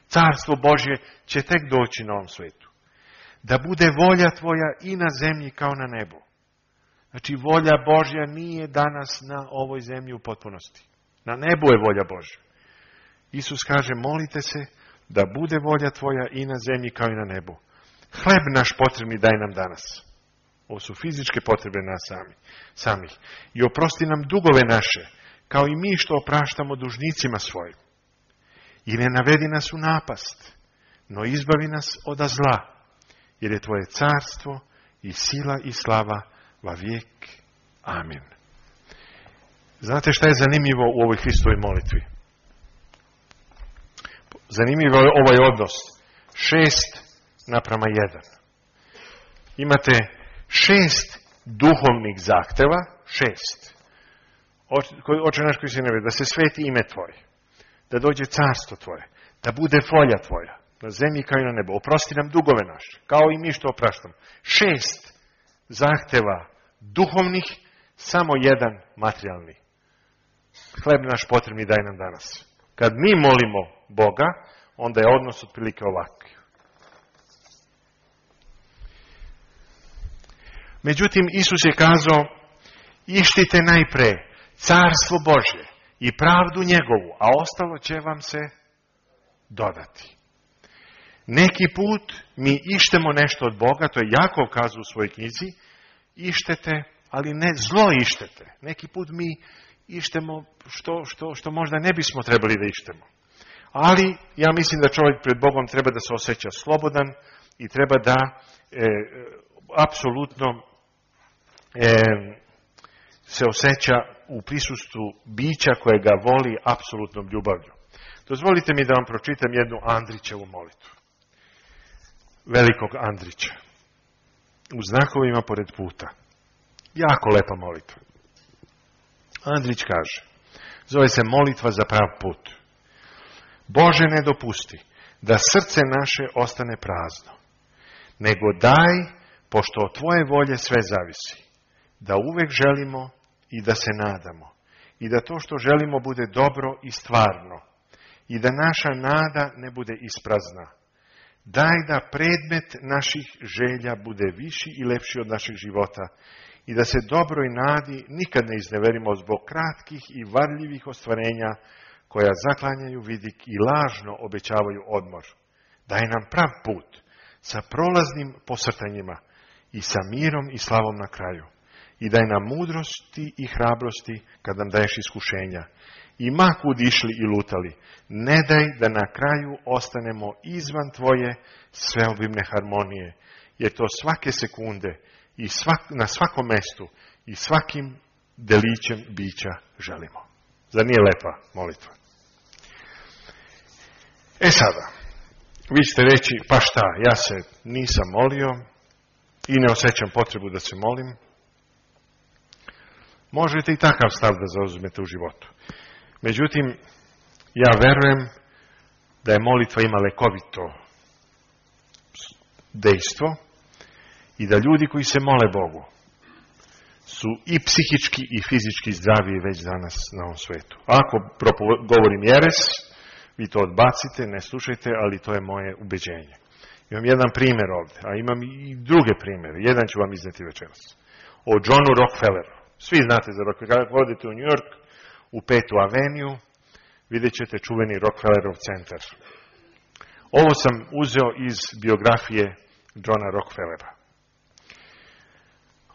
Carstvo Božje će tek doći na ovom svetu. Da bude volja tvoja i na zemlji kao na nebu. Znači, volja Božja nije danas na ovoj zemlji u potpunosti. Na nebu je volja Božja. Isus kaže, molite se da bude volja tvoja i na zemlji kao i na nebu. Hleb naš potrebni daj nam danas. Ovo su fizičke potrebe nas samih. I oprosti nam dugove naše, kao i mi što opraštamo dužnicima svojim. I ne navedi nas u napast, no izbavi nas od zla, jer je tvoje carstvo i sila i slava va vijek. Amin. Znate šta je zanimljivo u ovoj Hristovoj molitvi? Zanimljivo je ovaj odnos. 6:1. Imate 6 duhovnih zahteva, 6. Oče naš koji si na nebu, da se sveti ime tvoje, da dođe carstvo tvoje, da bude volja tvoja, na zemlji kao i na nebu. Oprosti nam dugove naše, kao i mi što opraštamo. 6 zahteva duhovnih, samo 1 materijalni. Hleb naš potrebni daj nam danas. Kad mi molimo Boga, onda je odnos otprilike ovakav. Međutim, Isus je kazao, ištite najpre carstvo Božje i pravdu njegovu, a ostalo će vam se dodati. Neki put mi ištemo nešto od Boga, to je Jakov kazao u svojoj knjizi, ištete, ali ne zlo ištete. Neki put mi ištemo što možda ne bismo trebali da ištemo. Ali ja mislim da čovjek pred Bogom treba da se osjeća slobodan i treba da apsolutno se osjeća u prisustvu bića koje ga voli apsolutnom ljubavlju. Dozvolite mi da vam pročitam jednu Andrićevu molitvu. Velikog Andrića. U znakovima pored puta. Jako lepa molitva. Andrić kaže, zove se molitva za prav put. Bože, ne dopusti da srce naše ostane prazno, nego daj, pošto od tvoje volje sve zavisi, da uvek želimo i da se nadamo, i da to što želimo bude dobro i stvarno, i da naša nada ne bude isprazna. Daj da predmet naših želja bude viši i lepši od našeg života i da se dobroj nadi nikad ne izneverimo zbog kratkih i varljivih ostvarenja koja zaklanjaju vidik i lažno obećavaju odmor. Daj nam prav put sa prolaznim posrtanjima i sa mirom i slavom na kraju. I daj nam mudrosti i hrabrosti kad nam daješ iskušenja. I ma kud išli i lutali, ne daj da na kraju ostanemo izvan tvoje sveobimne harmonije, jer to svake sekunde i na svakom mestu i svakim delićem bića želimo. Zar nije lepa molitva? Sada, vi ćete reći, pa šta, ja se nisam molio i ne osjećam potrebu da se molim. Možete i takav stav da zauzmete u životu. Međutim, ja verujem da je molitva ima lekovito dejstvo i da ljudi koji se mole Bogu su i psihički i fizički zdraviji već danas na ovom svetu. Ako govorim jeres, vi to odbacite, ne slušajte, ali to je moje ubeđenje. Imam jedan primjer ovdje, a imam i druge primjere. Jedan ću vam izneti večeras. O Johnu Rockefelleru. Svi znate za Rockefeller. Kada odete u New York, u 5. aveniju, vidjet ćete čuveni Rockefellerov centar. Ovo sam uzeo iz biografije Johna Rockefellera.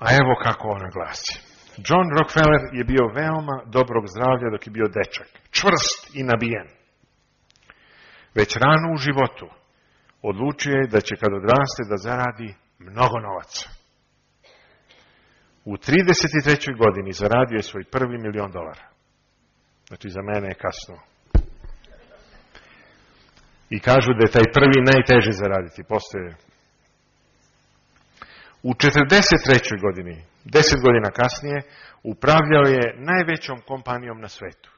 A evo kako ona glasi. John Rockefeller je bio veoma dobrog zdravlja dok je bio dečak. Čvrst i nabijen. Već rano u životu odlučio je da će kad odraste da zaradi mnogo novaca. U 33. godini zaradio je svoj prvi $1.000.000. Znači za mene je kasno. I kažu da je taj prvi najteže zaraditi. Postoje. U 43. godini, 10 godina kasnije, upravljao je najvećom kompanijom na svetu.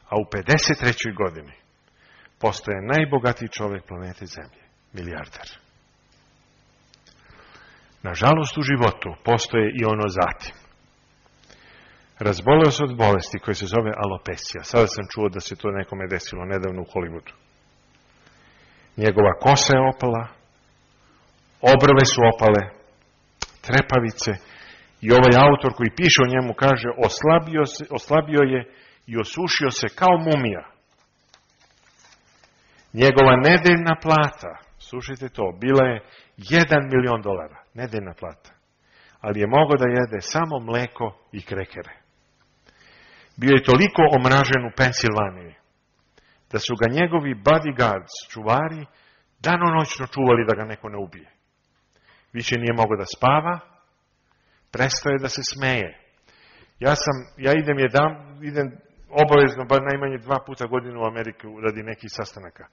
A u 53. godini postaje najbogatiji čovjek planete Zemlje, milijarder. Nažalost, u životu postoje i ono zatim. Razboleo se od bolesti koja se zove alopesija. Sada sam čuo da se to nekome desilo nedavno u Hollywoodu. Njegova kosa je opala, obrve su opale, trepavice i ovaj autor koji piše o njemu kaže oslabio je i osušio se kao mumija. Njegova nedeljna plata, slušajte to, bila je $1.000.000, nedeljna plata. Ali je mogao da jede samo mleko i krekere. Bio je toliko omražen u Pensilvaniji, da su ga njegovi bodyguards, čuvari, danonoćno čuvali da ga neko ne ubije. Više nije mogao da spava, prestao je da se smeje. Ja idem obavezno, bar najmanje 2 puta godinu u Ameriku radi nekih sastanaka.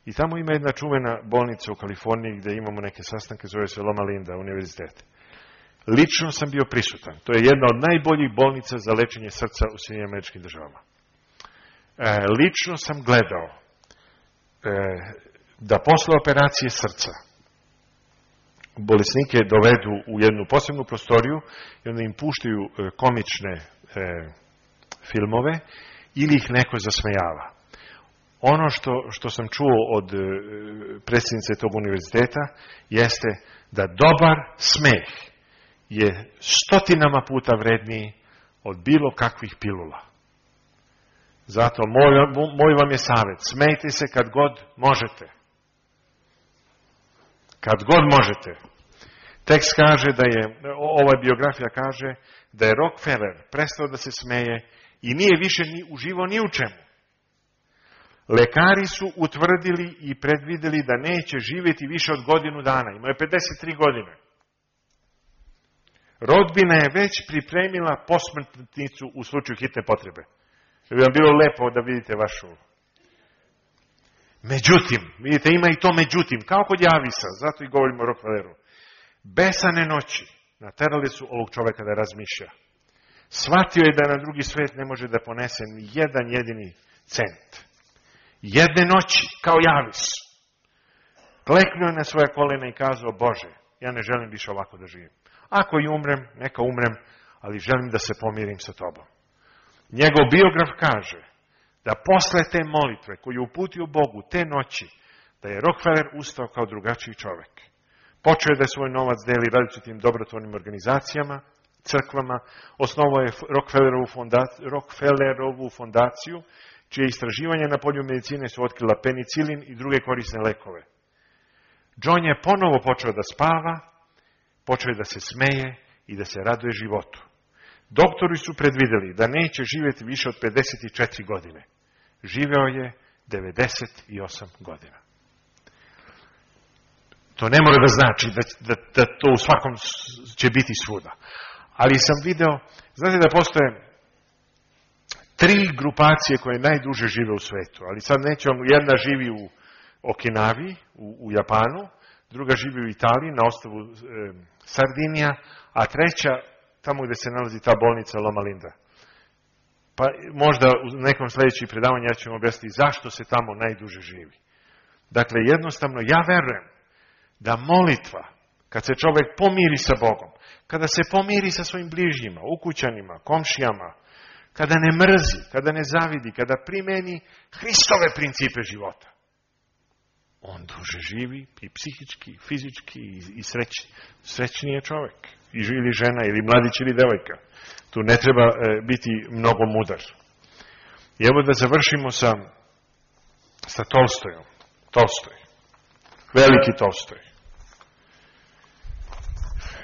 I tamo ima jedna čuvena bolnica u Kaliforniji gdje imamo neke sastanke, zove se Loma Linda univerzitet. Lično sam bio prisutan. To je jedna od najboljih bolnica za lečenje srca u Sjedinjenim Američkim Državama. Lično sam gledao da posle operacije srca bolesnike dovedu u jednu posebnu prostoriju i onda im puštaju komične filmove ili ih neko zasmejava. Ono što sam čuo od predsjednice tog univerziteta jeste da dobar smeh je 100 puta vredniji od bilo kakvih pilula. Zato moj vam je savjet, smejte se kad god možete. Kad god možete. Tekst kaže ova biografija kaže da je Rockefeller prestao da se smeje i nije više ni uživao ni u čemu. Lekari su utvrdili i predvideli da neće živjeti više od godinu dana. Imao je 53 godine. Rodbina je već pripremila posmrtnicu u slučaju hitne potrebe. Da bi vam bilo lepo da vidite vašu. Međutim, vidite, ima i to međutim, kao kod Javisa, zato i govorimo o Rockefelleru. Besane noći naterali su ovog čovjeka da razmišlja. Shvatio je da na drugi svijet ne može da ponese ni jedan jedini cent. Jedne noći, kao Javis, kleknuo je na svoje kolena i kazao, Bože, ja ne želim više ovako da živim. Ako i umrem, neka umrem, ali želim da se pomirim sa tobom. Njegov biograf kaže da posle te molitve koju je uputio Bogu te noći, da je Rockefeller ustao kao drugačiji čovjek. Počeo je da svoj novac deli različitim dobrotvornim organizacijama, crkvama, osnovao je Rockefellerovu fondaciju, čije istraživanja na polju medicine su otkrila penicilin i druge korisne lekove. John je ponovo počeo da spava, počeo je da se smeje i da se raduje životu. Doktori su predvideli da neće živjeti više od 54 godine. Živeo je 98 godina. To ne mora da znači da to u svakom će biti svuda. Ali sam video, znate da postoje 3 grupacije koje najduže žive u svetu. Ali sad nećemo, jedna živi u Okinavi, u Japanu, druga živi u Italiji, na ostrvu Sardinija, a treća tamo gdje se nalazi ta bolnica Loma Linda. Pa možda u nekom sljedećem predavanju ja ću vam objasniti zašto se tamo najduže živi. Dakle, jednostavno, ja verujem da molitva, kad se čovjek pomiri sa Bogom, kada se pomiri sa svojim bližnjima, ukućanima, komšijama, kada ne mrzi, kada ne zavidi, kada primeni Hristove principe života, on duže živi i psihički, i fizički, i srećniji je čovjek. Ili žena, ili mladić, ili devojka. Tu ne treba biti mnogo mudar. I evo da završimo sa Tolstojom. Tolstoj. Veliki Tolstoj.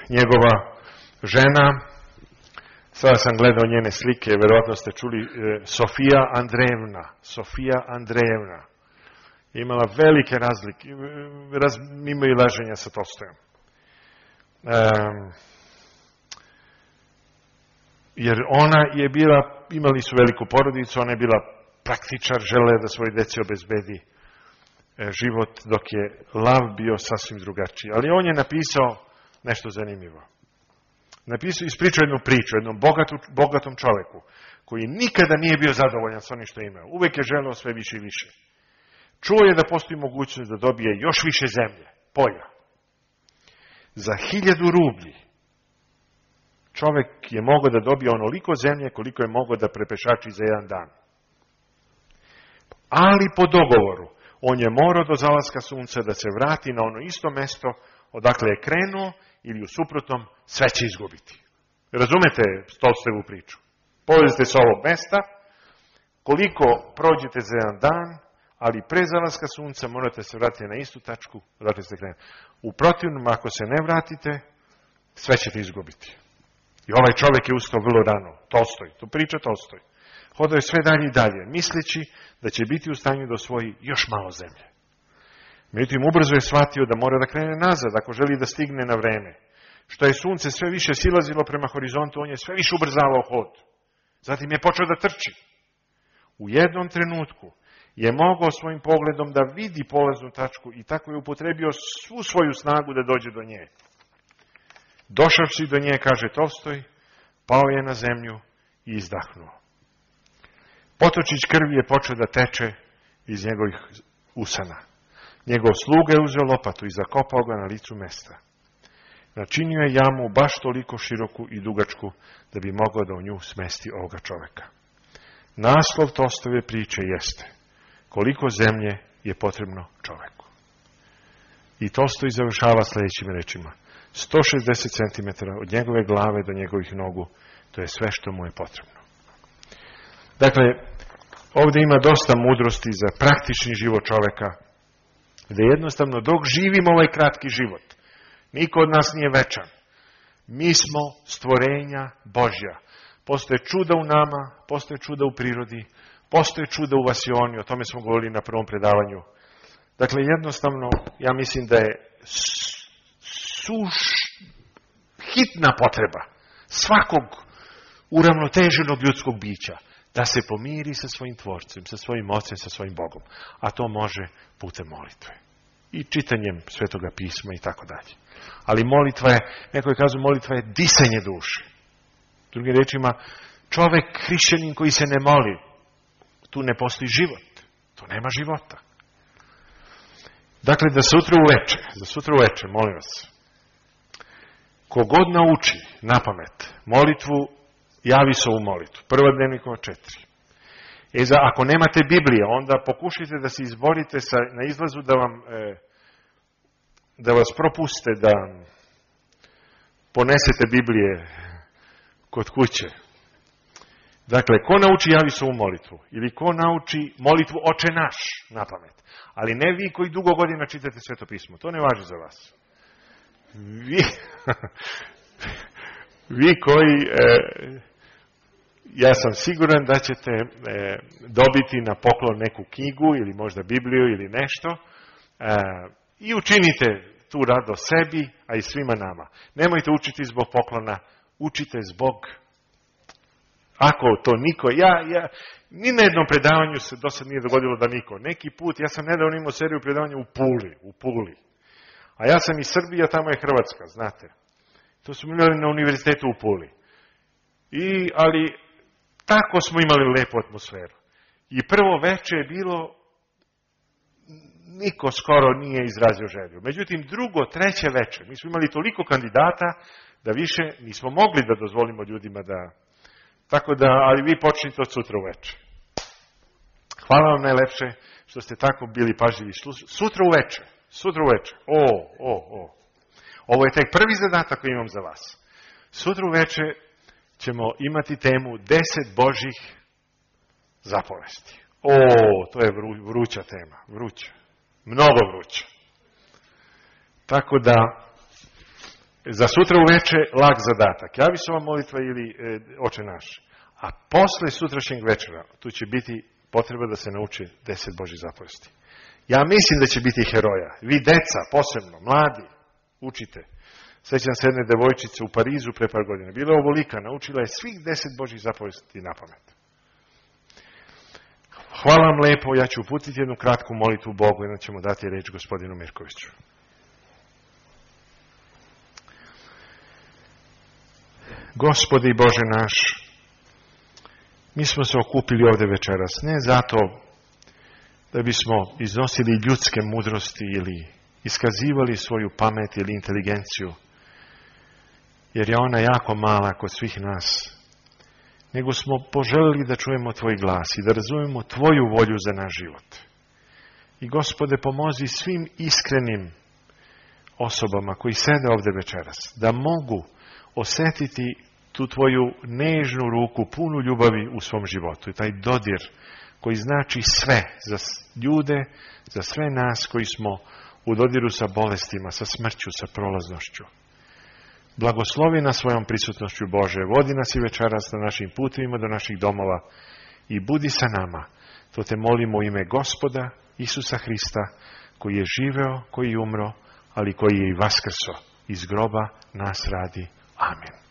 Njegova žena, sada sam gledao njene slike, verovatno ste čuli, Sofija Andrejevna. Imala velike razlike, imaju laženja sa Tolstojom. Jer ona je bila, imali su veliku porodicu, ona je bila praktičar, žele da svoj deci obezbedi život, dok je lav bio sasvim drugačiji. Ali on je napisao nešto zanimljivo. Ispričao jednu priču, jednom bogatom čoveku, koji nikada nije bio zadovoljan sa onim što je imao. Uvek je želeo sve više i više. Čuo je da postoji mogućnost da dobije još više zemlje, polja. Za 1000 rublji čovjek je mogao da dobije onoliko zemlje koliko je mogao da prepešači za jedan dan. Ali po dogovoru, on je morao do zalaska sunca da se vrati na ono isto mesto odakle je krenuo ili u suprotnom sve će izgubiti. Razumete Tolstojevu priču? Polazite sa ovog mesta, koliko prođete za jedan dan, ali pre zalaska sunca morate se vratiti na istu tačku odakle ste krenuli. U protivnom, ako se ne vratite, sve ćete izgubiti. I ovaj čovjek je ustao vrlo rano. Tolstoj, to priča Tolstoj. Hodao je sve dalje i dalje, misleći da će biti u stanju da osvoji još malo zemlje. Međutim, ubrzo je shvatio da mora da krene nazad ako želi da stigne na vreme. Što je sunce sve više silazilo prema horizontu, on je sve više ubrzavao hod. Zatim je počeo da trči. U jednom trenutku je mogao svojim pogledom da vidi polaznu tačku i tako je upotrebio svu svoju snagu da dođe do nje. Došavši do nje, kaže Tolstoj, pao je na zemlju i izdahnuo. Potočić krvi je počeo da teče iz njegovih usana. Njegov sluga je uzeo lopatu i zakopao ga na licu mesta. Načinio je jamu baš toliko široku i dugačku da bi mogao da u nju smesti ovoga čoveka. Naslov Tolstojeve priče jeste koliko zemlje je potrebno čoveku. I Tolstoj završava sljedećim rečima. 160 cm od njegove glave do njegovih nogu, to je sve što mu je potrebno. Dakle, ovdje ima dosta mudrosti za praktični život čoveka, gdje jednostavno dok živimo ovaj kratki život, niko od nas nije večan. Mi smo stvorenja Božja. Postoje čuda u nama, postoje čuda u prirodi, postoje čuda u vasioni, o tome smo govorili na prvom predavanju. Dakle, jednostavno, ja mislim da je hitna potreba svakog uravnoteženog ljudskog bića da se pomiri sa svojim tvorcem, sa svojim ocem, sa svojim Bogom. A to može putem molitve. I čitanjem Svetoga pisma i tako dalje. Ali molitva je, neko je kazao, molitva je disanje duše. Drugim rečima, čovek, hrišćanin koji se ne moli, tu ne postoji život. Tu nema života. Dakle, za sutra uveče, molim vas, kogod nauči na pamet molitvu, javi se u molitvu. Prva Dnevnikova 4. Ako nemate Biblije, onda pokušajte da se izborite na izlazu da vam da vas propuste da ponesete Biblije kod kuće. Dakle, ko nauči Javisovu molitvu ili ko nauči molitvu Oče naš na pamet, ali ne vi koji dugo godina čitate Sveto pismo, to ne važi za vas. Vi koji, ja sam siguran da ćete dobiti na poklon neku knjigu ili možda Bibliju ili nešto i učinite tu radost sebi, a i svima nama. Nemojte učiti zbog poklona, učite zbog, ako to niko, ni na jednom predavanju se do sad nije dogodilo da niko. Neki put, ja sam nedavno imao seriju predavanja u Puli. A ja sam iz Srbije, a tamo je Hrvatska, znate. To smo imali na univerzitetu u Puli. Ali tako smo imali lepu atmosferu. I prvo veče je bilo, niko skoro nije izrazio želju. Međutim, drugo, treće veče, mi smo imali toliko kandidata da više nismo mogli da dozvolimo ljudima da... Tako da, ali vi počnite od sutra uveče. Hvala vam najlepše što ste tako bili pažljivi. Sutra uveče. Ovo je tek prvi zadatak koji imam za vas. Sutra uveče ćemo imati temu 10 Božjih zapovesti. To je vruća tema. Vruća. Mnogo vruća. Tako da, za sutra uveče lag zadatak. Javisova molitva ili Oče naš. A posle sutrašnjeg večera, tu će biti potreba da se nauči 10 Božjih zapovesti. Ja mislim da će biti heroja. Vi deca, posebno, mladi, učite. Sećam se jedne devojčice u Parizu pre par godina. Bila je ovolika, naučila je svih 10 Božjih zapovesti na pamet. Hvala vam lepo, ja ću uputiti jednu kratku molitvu Bogu i onda ćemo dati reč gospodinu Mirkoviću. Gospodi Bože naš, mi smo se okupili ovdje večeras, ne zato da bismo iznosili ljudske mudrosti ili iskazivali svoju pamet ili inteligenciju, jer je ona jako mala kod svih nas, nego smo poželili da čujemo Tvoj glas i da razumemo Tvoju volju za naš život. I Gospode, pomozi svim iskrenim osobama koji sede ovdje večeras, da mogu osjetiti tu Tvoju nežnu ruku, punu ljubavi u svom životu. I taj dodir koji znači sve za ljude, za sve nas koji smo u dodiru sa bolestima, sa smrću, sa prolaznošću. Blagoslovi nas svojom prisutnošću Bože, vodi nas i večeras na našim putovima do naših domova i budi sa nama. To te molimo u ime Gospoda Isusa Hrista, koji je živeo, koji je umro, ali koji je i vaskrso iz groba nas radi. Amen.